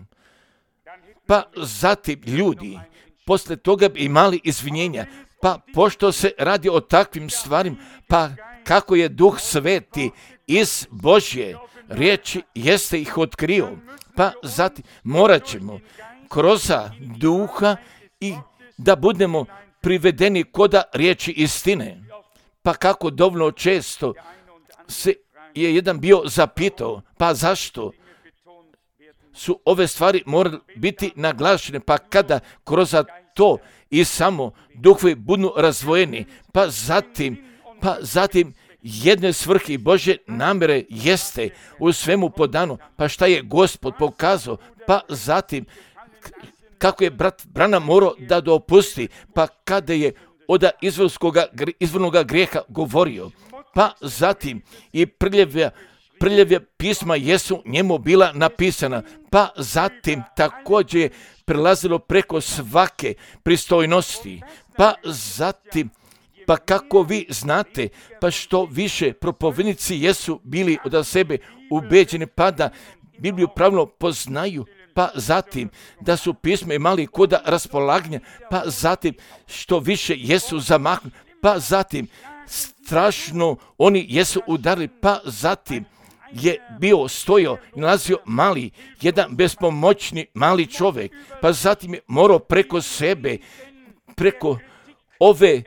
Pa zatim ljudi posle toga bi imali izvinjenja, pa pošto se radi o takvim stvarima, pa kako je Duh Sveti iz Božje riječi jeste ih otkrio, pa zatim morat ćemo kroz Duha i da budemo privedeni koda riječi istine. Pa kako dovoljno često se je jedan bio zapitao, pa zašto su ove stvari morale biti naglašene, pa kada kroz to i samo duhovi budu razvojeni, pa zatim, pa zatim jedne svrhe Božje namjere jeste u svemu podano, pa šta je Gospod pokazao, pa zatim kako je brat Branham morao da dopusti, pa kada je od izvornoga grijeha govorio, pa zatim i prljave, prljave pisma jesu njemu bila napisana, pa zatim također je prelazilo preko svake pristojnosti, pa zatim, pa kako vi znate, pa što više propovednici jesu bili od sebe ubeđeni, pa da Bibliju pravilno poznaju, pa zatim da su pisma imali koda raspolaganja, pa zatim što više jesu zamahnuti, pa zatim strašno oni jesu udarili, pa zatim je bio stojao i nalazio mali, jedan bespomoćni mali čovjek, pa zatim je morao preko sebe, preko ove,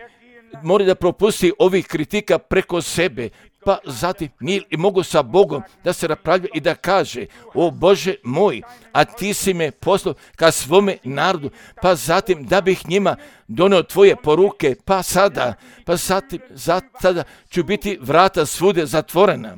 mora da propusti ovih kritika preko sebe, pa zatim nije i mogu sa Bogom da se raspravlja i da kaže, o Bože moj, a ti si me poslao ka svome narodu, pa zatim da bih njima donio tvoje poruke, pa sada, pa zatim, sada ću biti vrata svude zatvorena.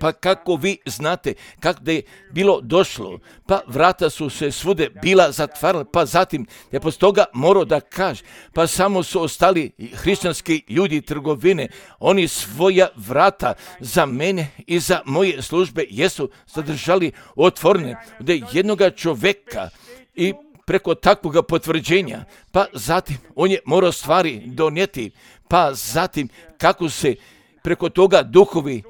Pa kako vi znate kako da je bilo došlo, pa vrata su se svude bila zatvarala, pa zatim je poslije toga morao da kaže, pa samo su ostali hrišćanski ljudi trgovine, oni svoja vrata za mene i za moje službe jesu zadržali otvorene, da jednoga čovjeka i preko takvog potvrđenja, pa zatim on je morao stvari donijeti, pa zatim kako se preko toga duhovi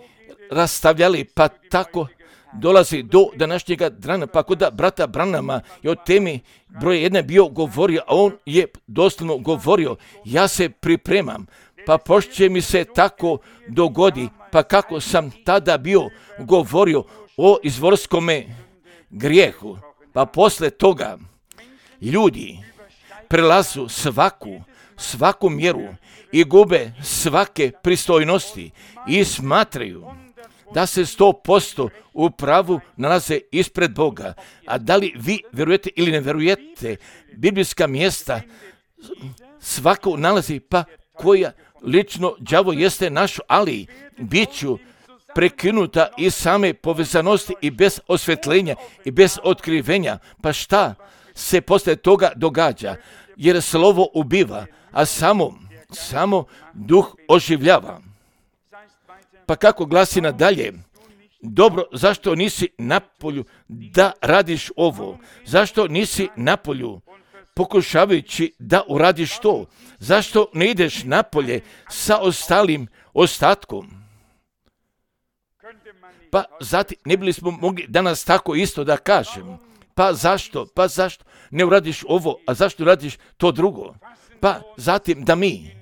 rastavljali, pa tako dolazi do današnjega dana, pa kod brata Branhama je o temi broj jedna bio govorio, a on je doslovno govorio, ja se pripremam, pa pošto mi se tako dogodi, pa kako sam tada bio govorio o izvorskome grijehu, pa posle toga ljudi prelazu svaku, svaku mjeru i gube svake pristojnosti i smatraju da se sto posto u pravu nalaze ispred Boga. A da li vi vjerujete ili ne vjerujete, biblijska mjesta svako nalazi, pa koja lično đavo jeste naš, ali bit ću prekinuta iz same povezanosti i bez osvjetljenja i bez otkrivenja. Pa šta se posle toga događa? Jer slovo ubiva, a samo, samo duh oživljava. Pa kako glasi nadalje, dobro, zašto nisi napolju da radiš ovo? Zašto nisi napolju pokušavajući da uradiš to? Zašto ne ideš napolje sa ostalim ostatkom? Pa zatim ne bili smo mogli danas tako isto da kažem. Pa zašto? Pa zašto ne uradiš ovo, a zašto radiš to drugo? Pa zatim da mi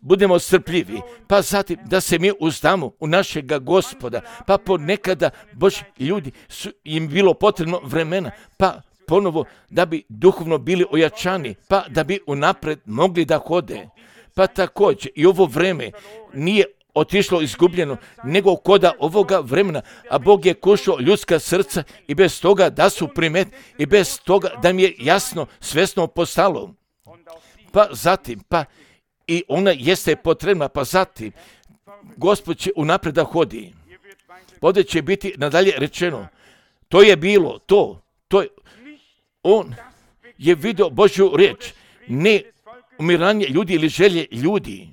budemo strpljivi, pa zatim da se mi uzdamo u našega Gospoda, pa ponekada Božji ljudi su im bilo potrebno vremena, pa ponovo da bi duhovno bili ojačani, pa da bi unapred mogli da hode. Pa također i ovo vreme nije otišlo izgubljeno, nego koda ovoga vremena, a Bog je kušao ljudska srca i bez toga da su primet i bez toga da mi je jasno, svesno postalo. Pa zatim, pa i ona jeste potrebna, pa zatim Gospod će unapred da hodi. Ovdje će biti nadalje rečeno, to je bilo, to, to je, on je vidio Božju riječ, ne umiranje ljudi ili želje ljudi.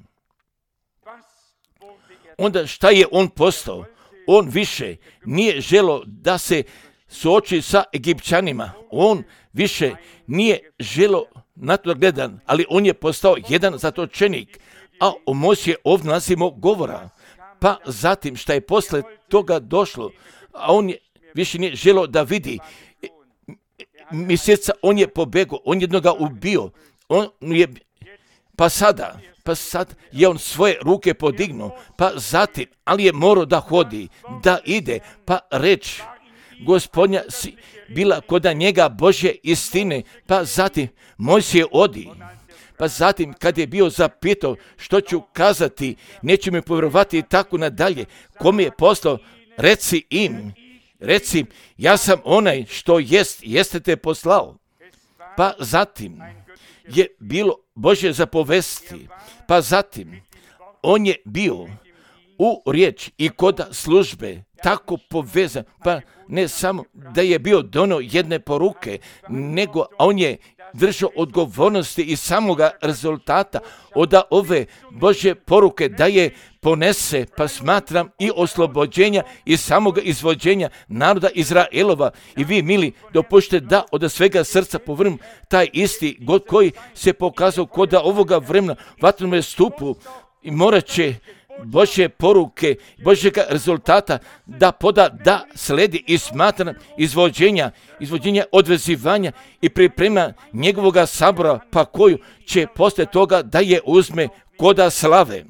Onda šta je on postao? On više nije želo da se suoči sa Egipćanima. On više nije želo na to gledan, ali on je postao jedan zatočenik, a o Mojsiju ovdje nalazimo govora. Pa zatim šta je posle toga došlo, a on je više nije želo da vidi mjeseca, on je pobegao, on jednoga ubio, on je, pa sada, pa sad je on svoje ruke podignuo, pa zatim, ali je morao da hodi, da ide, pa reč Gospodnja si bila koda njega Božje istine, pa zatim Mojsije odi, Pa zatim, kad je bio zapitao što ću kazati, neće mi povjerovati i tako nadalje. Ko mi je poslao, reci im, reci, ja sam onaj što jest, jeste te poslao. Pa zatim je bilo Božje zapovesti. Pa zatim, on je bio u riječ i kod službe tako povezan, pa ne samo da je bio donio jedne poruke, nego on je držao odgovornosti i samoga rezultata od ove Božje poruke da je ponese, pa smatram i oslobođenja i samoga izvođenja naroda Izraelova. I vi, mili, dopušte da od svega srca povrm taj isti God koji se pokazao kod ovoga vremena vatrenome stupu i morat će Božje poruke, Božjega rezultata da poda, da sledi i smatra izvođenja, izvođenja odvezivanja i priprema njegovoga sabora, pa koju će poslije toga da je uzme koda slave.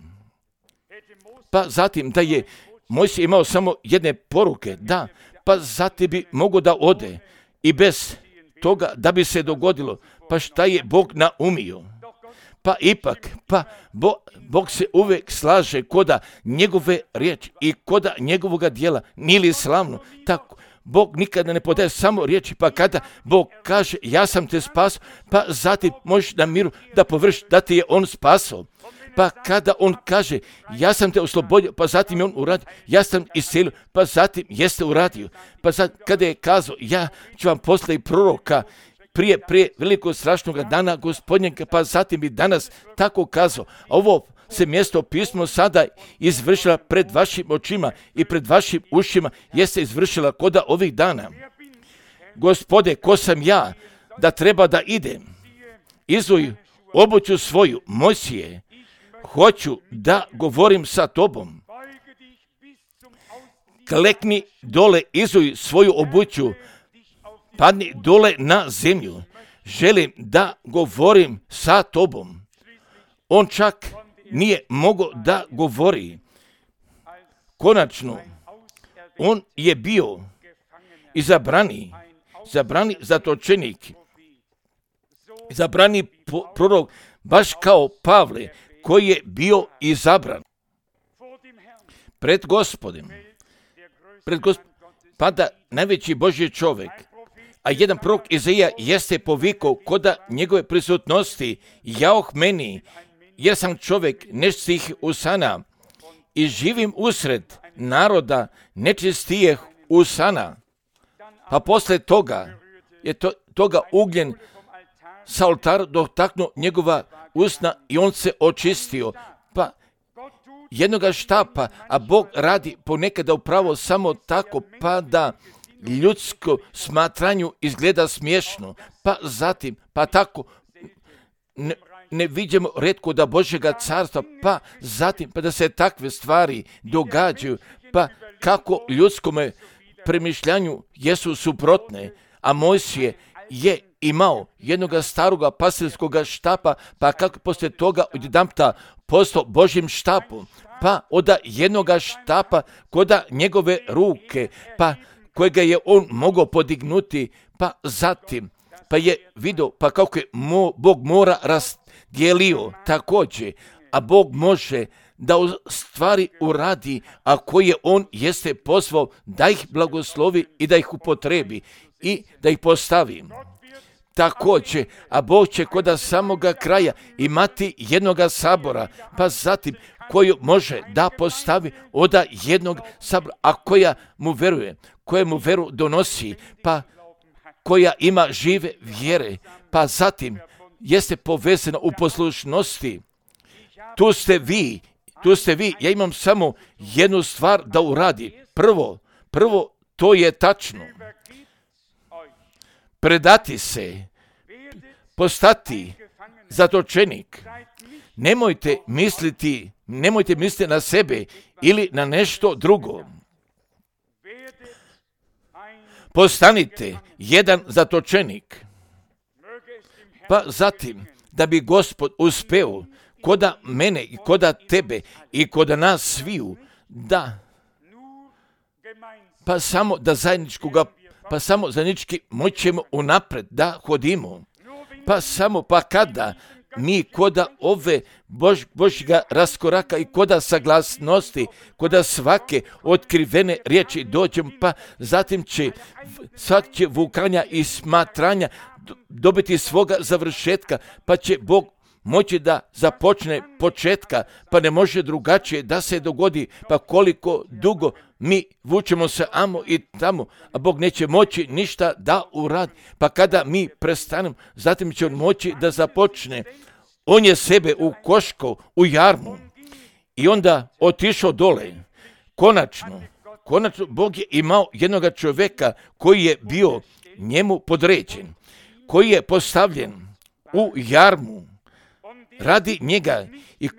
Pa zatim da je Mojsije imao samo jedne poruke, da, pa zatim bi mogo da ode i bez toga da bi se dogodilo, pa šta je Bog naumio. Pa ipak, pa Bo, Bog se uvijek slaže koda njegove riječi i koda njegovoga dijela, nije li slavno? Tako, Bog nikada ne podaje samo riječi, pa kada Bog kaže ja sam te spasao, pa zatim možeš na miru da površi da ti je on spasao. Pa kada on kaže ja sam te oslobodio, pa zatim je on uradio, ja sam iscelio, pa zatim jeste uradio. Pa zatim kada je kazao ja ću vam poslati proroka, prije, prije velikog strašnog dana gospodnjega, pa zatim i danas tako kazao. Ovo se mjesto pismo sada izvršila pred vašim očima i pred vašim ušima, jeste izvršila koda ovih dana. Gospode, ko sam ja da treba da idem? Izuj obuću svoju, Mojsije, hoću da govorim sa tobom. Klekni dole, izuj svoju obuću, padni dole na zemlju, želim da govorim sa tobom. On čak nije mogao da govori. Konačno, on je bio izabrani, izabrani zatočenik, izabrani prorok, baš kao Pavle, koji je bio izabran. Pred Gospodem, pred Gospodem, pada najveći Božji čovjek, a jedan prorok Izaija jeste povikao koda njegove prisutnosti, jaoh meni, jer sam čovjek nečistih usana i živim usred naroda nečistijeh usana. Pa posle toga je to, toga ugljen sa oltara dotaknuo njegova usna i on se očistio. Pa jednoga štapa, a Bog radi ponekada upravo samo tako, pa da ljudsko smatranju izgleda smiješno, pa zatim, pa tako ne, ne vidimo retko da Božjega carstva, pa zatim, pa da se takve stvari događaju, pa kako ljudskome premišljanju jesu suprotne, a Mojsije je imao jednoga staroga pastirskoga štapa, pa kako poslije toga odjedanputa postao Božjim štapom, pa od jednoga štapa koda njegove ruke, pa kojega je on mogao podignuti, pa zatim, pa je vidio, pa kako je mo, Bog mora razdijelio također, a Bog može da stvari uradi, a koje on jeste pozvao da ih blagoslovi i da ih upotrebi i da ih postavi. Također, a Bog će koda samoga kraja imati jednoga sabora, pa zatim koju može da postavi od jednog sabora, a koja mu veruje, koja mu veru donosi, pa koja ima žive vjere, pa zatim jeste povezana u poslušnosti. Tu ste vi, tu ste vi, ja imam samo jednu stvar da uradi. Prvo, prvo, to je tačno. Predati se, postati zatočenik. Nemojte misliti, nemojte misliti na sebe ili na nešto drugo. Postanite jedan zatočenik. Pa zatim, da bi Gospod uspeo koda mene i koda tebe i koda nas sviju, da pa samo da zajedničkoga, pa samo zajednički moćemo unapred da hodimo. Pa samo, pa kada, mi koda ove Bož, Božjega raskoraka i koda saglasnosti, koda svake otkrivene riječi dođemo, pa zatim će svak će vukanja i smatranja dobiti svoga završetka, pa će Bog moći da započne početka, pa ne može drugačije da se dogodi, pa koliko dugo mi vučemo se amo i tamo, a Bog neće moći ništa da uradi, pa kada mi prestanemo, zatim će on moći da započne. On je sebe ukoškao u jarmu i onda otišao dole. Konačno, konačno Bog je imao jednog čovjeka koji je bio njemu podređen, koji je postavljen u jarmu radi njega i,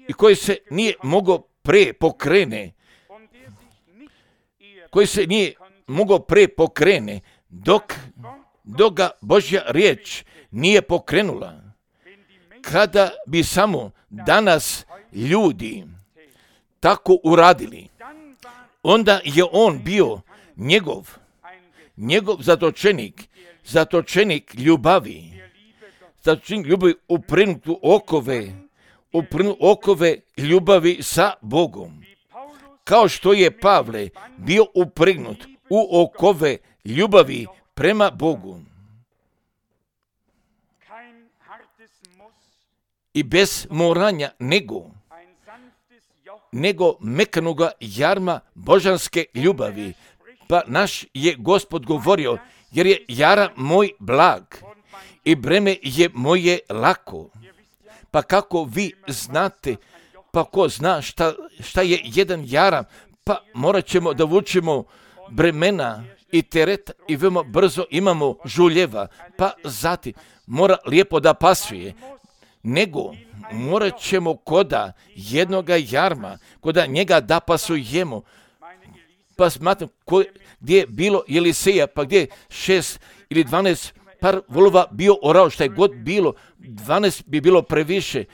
i koji se nije mogao pre pokrene, koji se nije mogao pre pokrene dok, dok ga Božja riječ nije pokrenula. Kada bi samo danas ljudi tako uradili, onda je on bio njegov, njegov zatočenik, zatočenik ljubavi, zatočenik ljubavi uprinut u okove, uprinut okove ljubavi sa Bogom. Kao što je Pavle bio uprignut u okove ljubavi prema Bogu. I bez moranja nego, nego mekanoga jarma božanske ljubavi. Pa naš je Gospod govorio, jer je jara moj blag i breme je moje lako. Pa kako vi znate, pa ko zna šta, šta je jedan jaram, pa morat ćemo da vučemo bremena i teret i veoma brzo imamo žuljeva, pa zatim mora lijepo da pasuje. Nego morat ćemo koda jednoga jarma, koda njega da pasujemo. Pa smatram, ko, gdje je bilo Eliseja, pa gdje je šest ili dvanaest par volova bio orao, šta je god bilo, dvanaest bi bilo previše.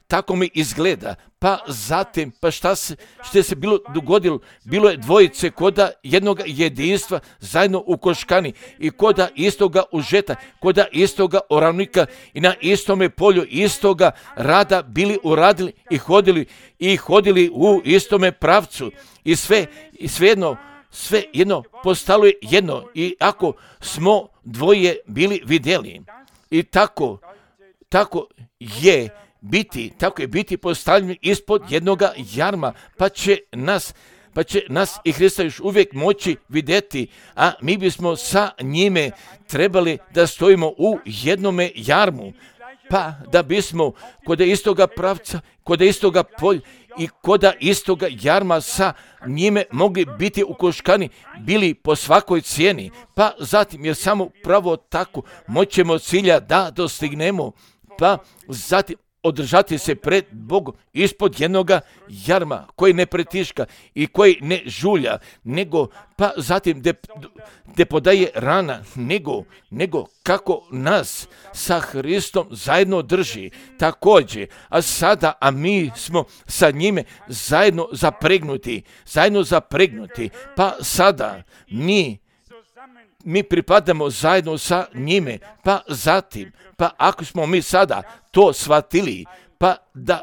Tako mi izgleda. Pa zatim, pa šta se, što se bilo dogodilo? Bilo je dvojice koda jednog jedinstva zajedno u koškani i koda istoga užeta, koda istoga oravnika i na istome polju istoga rada bili uradili i hodili i hodili u istome pravcu i sve, i sve jedno, sve jedno postalo je jedno i ako smo dvoje bili vidjeli i tako, tako je biti, tako je biti postavljeni ispod jednoga jarma, pa će nas, pa će nas i Hrista još uvijek moći vidjeti, a mi bismo sa njime trebali da stojimo u jednome jarmu, pa da bismo kod istoga pravca, kod istoga polja i kod istoga jarma sa njime mogli biti ukoškani, bili po svakoj cijeni, pa zatim jer samo pravo tako moćemo cilja da dostignemo, pa zatim održati se pred Bogom ispod jednoga jarma koji ne pretiška i koji ne žulja, nego pa zatim de, de podaje rana, nego, nego kako nas sa Hristom zajedno drži također, a sada, a mi smo sa njime zajedno zapregnuti, zajedno zapregnuti, pa sada mi mi pripadamo zajedno sa njime, pa zatim, pa ako smo mi sada to shvatili, pa da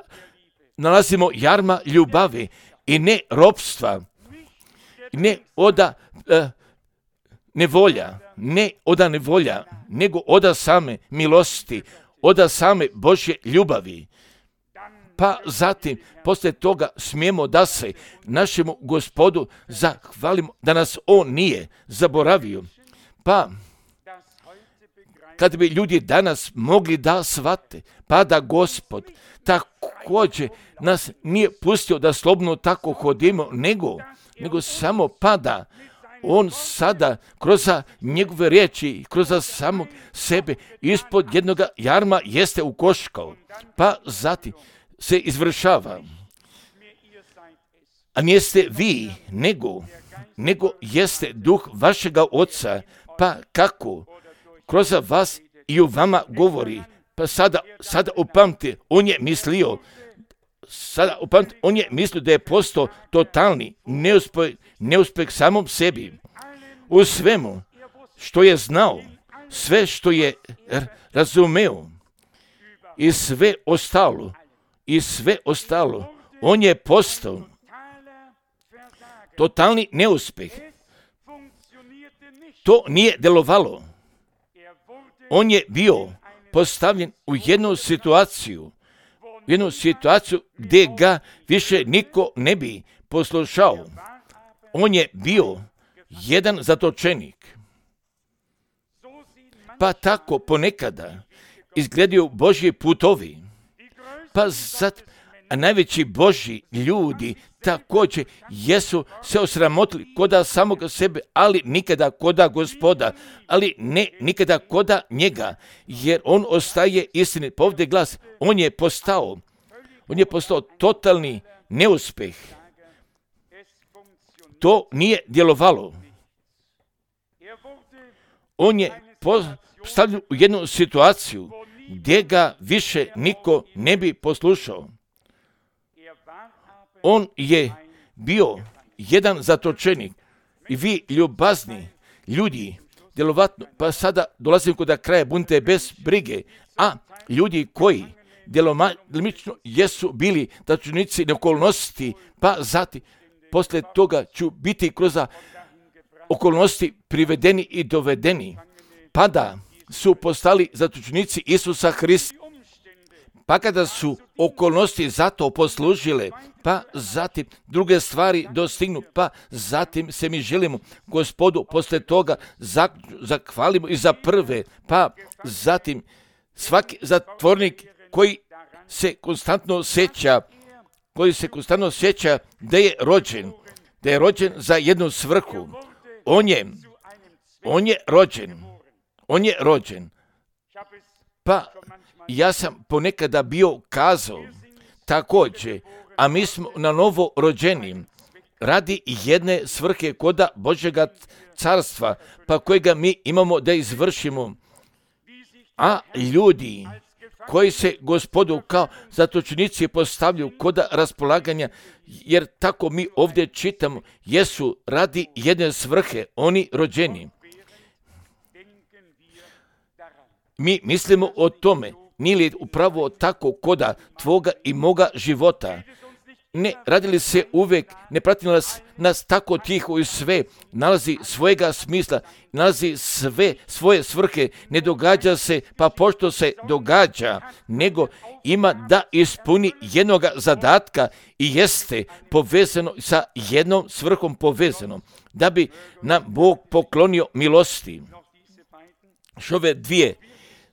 nalazimo jarma ljubavi i ne ropstva, ne oda uh, nevolja, ne oda nevolja, nego oda same milosti, oda same Božje ljubavi. Pa zatim, poslije toga smijemo da se našemu Gospodu zahvalimo da nas On nije zaboravio. Pa, kad bi ljudi danas mogli da shvate, pa da Gospod također nas nije pustio da slobodno tako hodimo, nego, nego samo pada On sada kroz njegove riječi, kroz samog sebe ispod jednog jarma jeste ukoškao, pa zatim se izvršava. A nijeste vi, nego, nego jeste duh vašega Oca, pa kako kroz vas i u vama govori, pa sada, sada upamte, on je mislio, sada upamte, on je mislio da je postao totalni neuspeh, neuspeh samom sebi. U svemu što je znao, sve što je razumeo i sve ostalo, i sve ostalo. On je postao totalni neuspjeh. To nije delovalo. On je bio postavljen u jednu situaciju, jednu situaciju gdje ga više niko ne bi poslušao. On je bio jedan zatočenik. Pa tako ponekada izgledaju Božji putovi. Pa zato, a najveći Božji ljudi također jesu se osramotili koda samoga sebe, ali nikada koda Gospoda, ali ne nikada koda njega, jer on ostaje istini. Pa ovdje glas, on je postao, on je postao totalni neuspjeh. To nije djelovalo. On je postavljen u jednu situaciju gdje ga više niko ne bi poslušao. On je bio jedan zatočenik i vi ljubazni ljudi, djelovatno, pa sada dolazim kod kraja, budite bez brige, a ljudi koji djelomično jesu bili zatočenici okolnosti, pa zatim poslije toga ću biti kroz okolnosti privedeni i dovedeni, pa da su postali zatočenici Isusa Hrista. Pa kada su okolnosti za to poslužile, pa zatim druge stvari dostignu, pa zatim se mi želimo Gospodu poslije toga zahvalimo i za prve, pa zatim svaki zatvornik koji se konstantno sjeća, koji se konstantno sjeća da je rođen, da je rođen za jednu svrhu. On je, on je rođen, on je rođen. Pa ja sam ponekada bio kazao također, a mi smo na novo rođeni radi jedne svrhe koda Božjega carstva, pa kojega mi imamo da izvršimo. A ljudi koji se Gospodu kao zatočenici postavljaju koda raspolaganja, jer tako mi ovdje čitamo, jesu radi jedne svrhe oni rođeni. Mi mislimo o tome, nije li upravo tako koda tvoga i moga života? Ne radili se uvijek, ne prati nas, nas tako tiho i sve, nalazi svojega smisla, nalazi sve svoje svrhe, ne događa se pa pošto se događa, nego ima da ispuni jednog zadatka i jeste povezano sa jednom svrhom povezano, da bi nam Bog poklonio milosti. Šove dvije,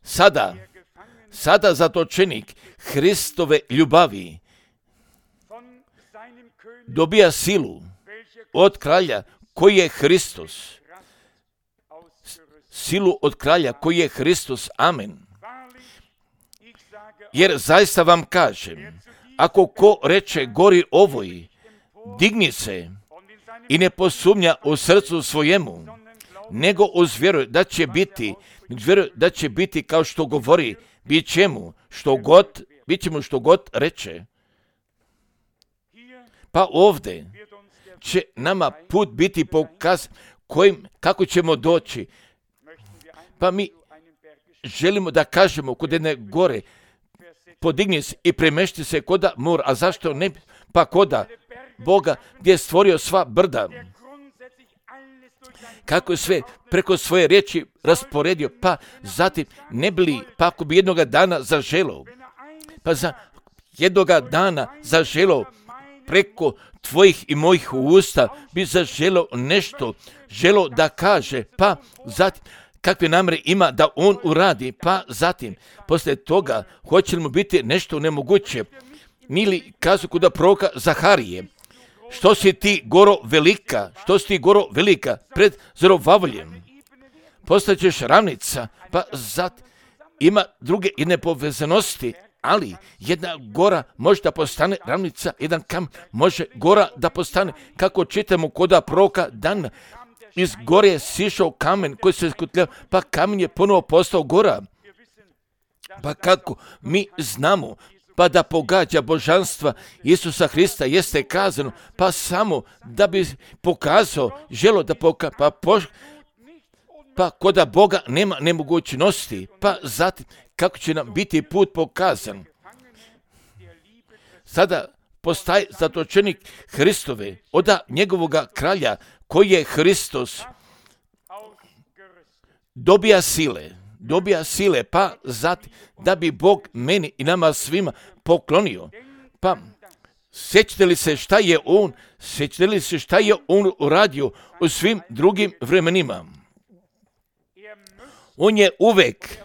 sada, sada zatočenik Hristove ljubavi dobija silu od kralja koji je Hristos. Silu od kralja koji je Hristos. Amen. Jer zaista vam kažem, ako ko reče gori ovoj, digni se i ne posumnja u srcu svojemu, nego uzvjeruje da će biti, vjeruje da će biti kao što govori, bit će mu što god, bit će mu što god reče. Pa ovdje će nama put biti pokaz kojim, kako ćemo doći. Pa mi želimo da kažemo kod jedne gore, podigni se i premešti se koda mor, a zašto ne? Pa koda Boga gdje je stvorio sva brda. Kako je sve preko svoje riječi rasporedio, pa zatim ne bili, pa ako bi jednoga dana zaželao, pa za jednoga dana zaželao preko tvojih i mojih usta bi zaželao nešto, želao da kaže, pa zatim kakve namjere ima da on uradi, pa zatim poslije toga hoće li mu biti nešto nemoguće. Nili kazu kuda proroka Zaharije, što si ti goro velika, što si ti goro velika pred Zorobavljem, postaćeš ravnica, pa zatim ima druge jedne povezanosti, ali jedna gora može da postane ravnica, jedan kam može gora da postane, kako čitamo koda proroka Dan, iz gore je sišao kamen koji se skutljao, pa kamen je ponovo postao gora. Pa kako mi znamo, pa da pogađa božanstva Isusa Hrista jeste kazano, pa samo da bi pokazao, želo da pokaže, pa, poš, pa koda Boga nema nemogućnosti, pa zatim kako će nam biti put pokazan. Sada postaje zatočenik Hristove, oda njegovoga kralja, koji je Hristos, dobija sile, dobija sile, pa zatim da bi Bog meni i nama svima poklonio. Pa sjećate li se šta je on, sjećate li se šta je on uradio u svim drugim vremenima? On je uvek,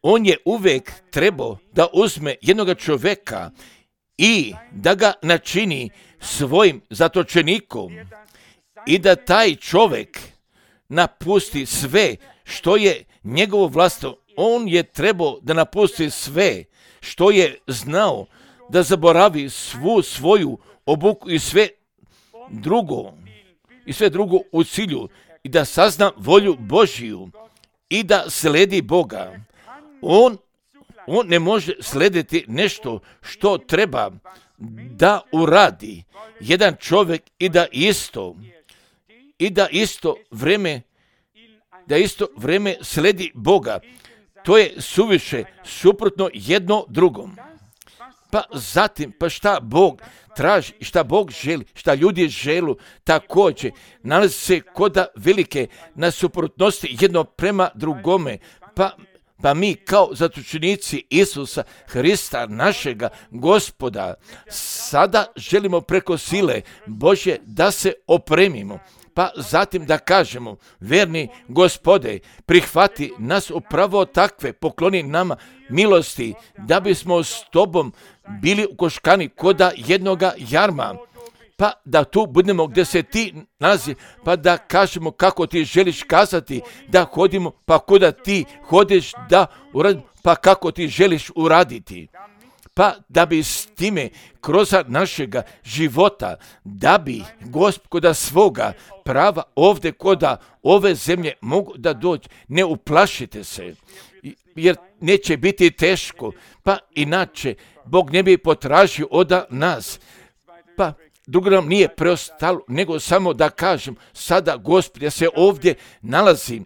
on je uvek trebao da uzme jednog čovjeka i da ga načini svojim zatočenikom i da taj čovjek napusti sve što je njegovo vlastno. On je trebao da napusti sve što je znao, da zaboravi svu svoju obuku i sve drugo, i sve drugo u cilju i da sazna volju Božiju i da sledi Boga. On, on ne može slediti nešto što treba da uradi jedan čovjek i da isto i da isto vreme da isto vreme sledi Boga. To je suviše suprotno jedno drugom. Pa zatim, pa šta Bog traži, šta Bog želi, šta ljudi želu, također nalazi se koda velike nasuprotnosti jedno prema drugome. Pa, pa mi kao zatočenici Isusa Hrista, našega Gospoda, sada želimo preko sile Božje da se opremimo. Pa zatim da kažemo, verni Gospode, prihvati nas upravo takve, pokloni nama milosti, da bismo s Tobom bili ukoškani koda jednoga jarma, pa da tu budemo gdje se Ti nalazi, pa da kažemo kako Ti želiš kazati, da hodimo, pa koda Ti hodiš da uradimo, pa kako Ti želiš uraditi. Pa da bi s time kroz našega života, da bi Gospoda svoga prava ovdje koda ove zemlje mogu da dođe, ne uplašite se, jer neće biti teško, pa inače Bog ne bi potražio od nas. Pa drugo nam nije preostalo, nego samo da kažem, sada Gospod, ja se ovdje nalazim,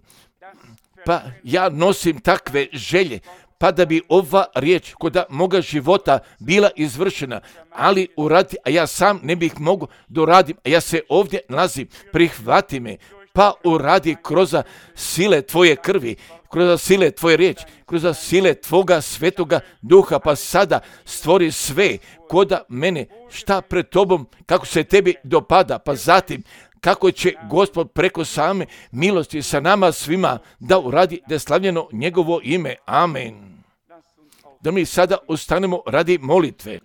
pa ja nosim takve želje, pa da bi ova riječ koda moga života bila izvršena, ali uradi, a ja sam ne bih mogu da uradim, a ja se ovdje nalazim, prihvati me, pa uradi kroz sile Tvoje krvi, kroz sile Tvoje riječi, kroz sile Tvoga svetoga duha, pa sada stvori sve koda mene, šta pred Tobom, kako se Tebi dopada, pa zatim kako će Gospod preko same milosti sa nama svima da uradi da je slavljeno njegovo ime. Amen. Da mi sada ustanemo radi molitve.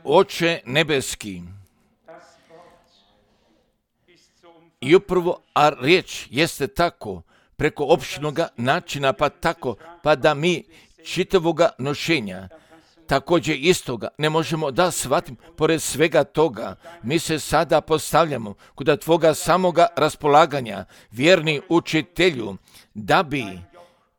Oče nebeski, i upravo, a riječ jeste tako, preko opštinoga načina, pa tako, pa da mi čitavoga nošenja, također istoga, ne možemo da shvatimo, pored svega toga, mi se sada postavljamo kod Tvoga samoga raspolaganja, vjerni učitelju, da bi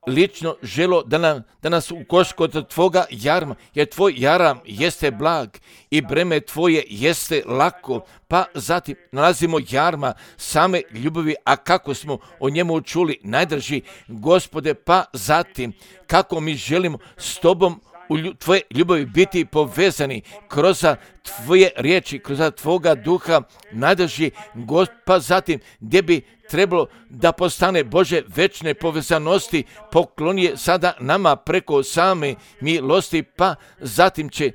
lično želo da, nam, da nas ukoš kod Tvoga jarma, jer Tvoj jaram jeste blag i breme Tvoje jeste lako, pa zatim nalazimo jarma same ljubavi, a kako smo o njemu čuli, najdrži Gospode, pa zatim kako mi želimo s Tobom u Tvoje ljubavi biti povezani kroz Tvoje riječi, kroz Tvoga duha, najdrži Gospod, pa zatim gdje bi trebalo da postane Bože večne povezanosti, poklon je sada nama preko same milosti, pa zatim će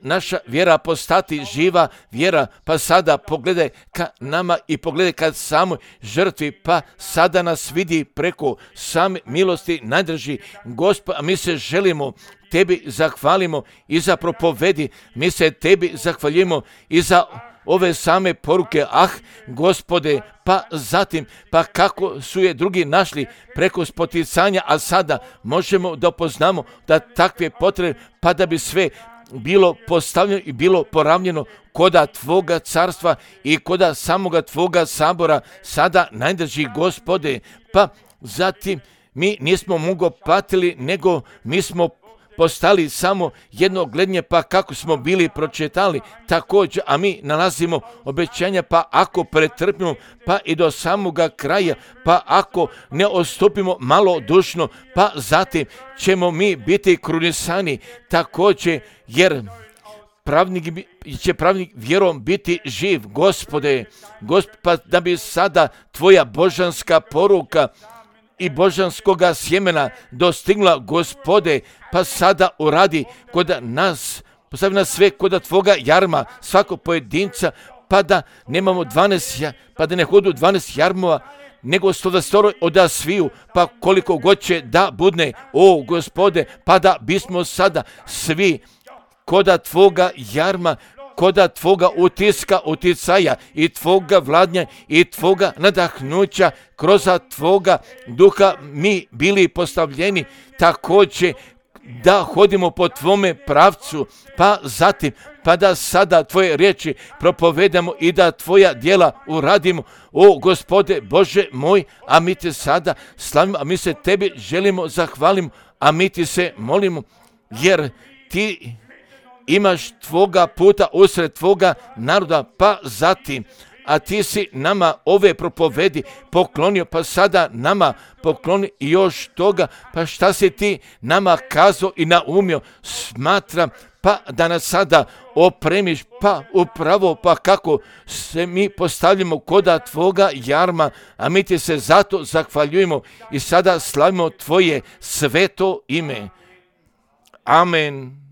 naša vjera postati živa vjera, pa sada pogledaj ka nama i pogledaj ka samoj žrtvi, pa sada nas vidi preko same milosti, najdrži Gospod, a mi se želimo Tebi zahvalimo i za propovedi, mi se Tebi zahvaljujemo i za ove same poruke, ah, Gospode, pa zatim, pa kako su je drugi našli preko spoticanja, a sada možemo da poznamo da takve potrebe, pa da bi sve bilo postavljeno i bilo poravnjeno koda Tvoga carstva i koda samoga Tvoga sabora, sada najdrži Gospode, pa zatim mi nismo mnogo patili, nego mi smo postali samo jedno gledanje, pa kako smo bili pročitali također, a mi nalazimo obećanja, pa ako pretrpimo, pa i do samoga kraja, pa ako ne odstupimo malodušno, pa zatim ćemo mi biti krunisani također, jer pravnik će pravnik vjerom biti živ. Gospode, Gospod, pa da bi sada tvoja božanska poruka i božanskoga sjemena dostigla, Gospode, pa sada uradi kod nas, postavi nas sve kod tvoga jarma, svakog pojedinca, pa da nemamo dvanaest, pa da ne hodu dvanaest jarmova, nego sto dvadeset oda sviju, pa koliko god će da budne, o Gospode, pa da bismo sada svi koda tvoga jarma, koda tvoga utiska, uticaja i tvoga vladnja i tvoga nadahnuća, kroz tvoga duha mi bili postavljeni također da hodimo po tvome pravcu, pa zatim, pa da sada tvoje riječi propovedamo i da tvoja djela uradimo. O Gospode Bože moj, a mi te sada slavimo, a mi se tebi želimo zahvalimo, a mi ti se molimo, jer ti imaš tvoga puta usred tvoga naroda, pa zatim, a ti si nama ove propovedi poklonio, pa sada nama pokloni još toga, pa šta si ti nama kazao i naumio, smatram, pa da nas sada opremiš, pa upravo, pa kako se mi postavljamo koda tvoga jarma, a mi ti se zato zahvaljujemo i sada slavimo tvoje sveto ime. Amen.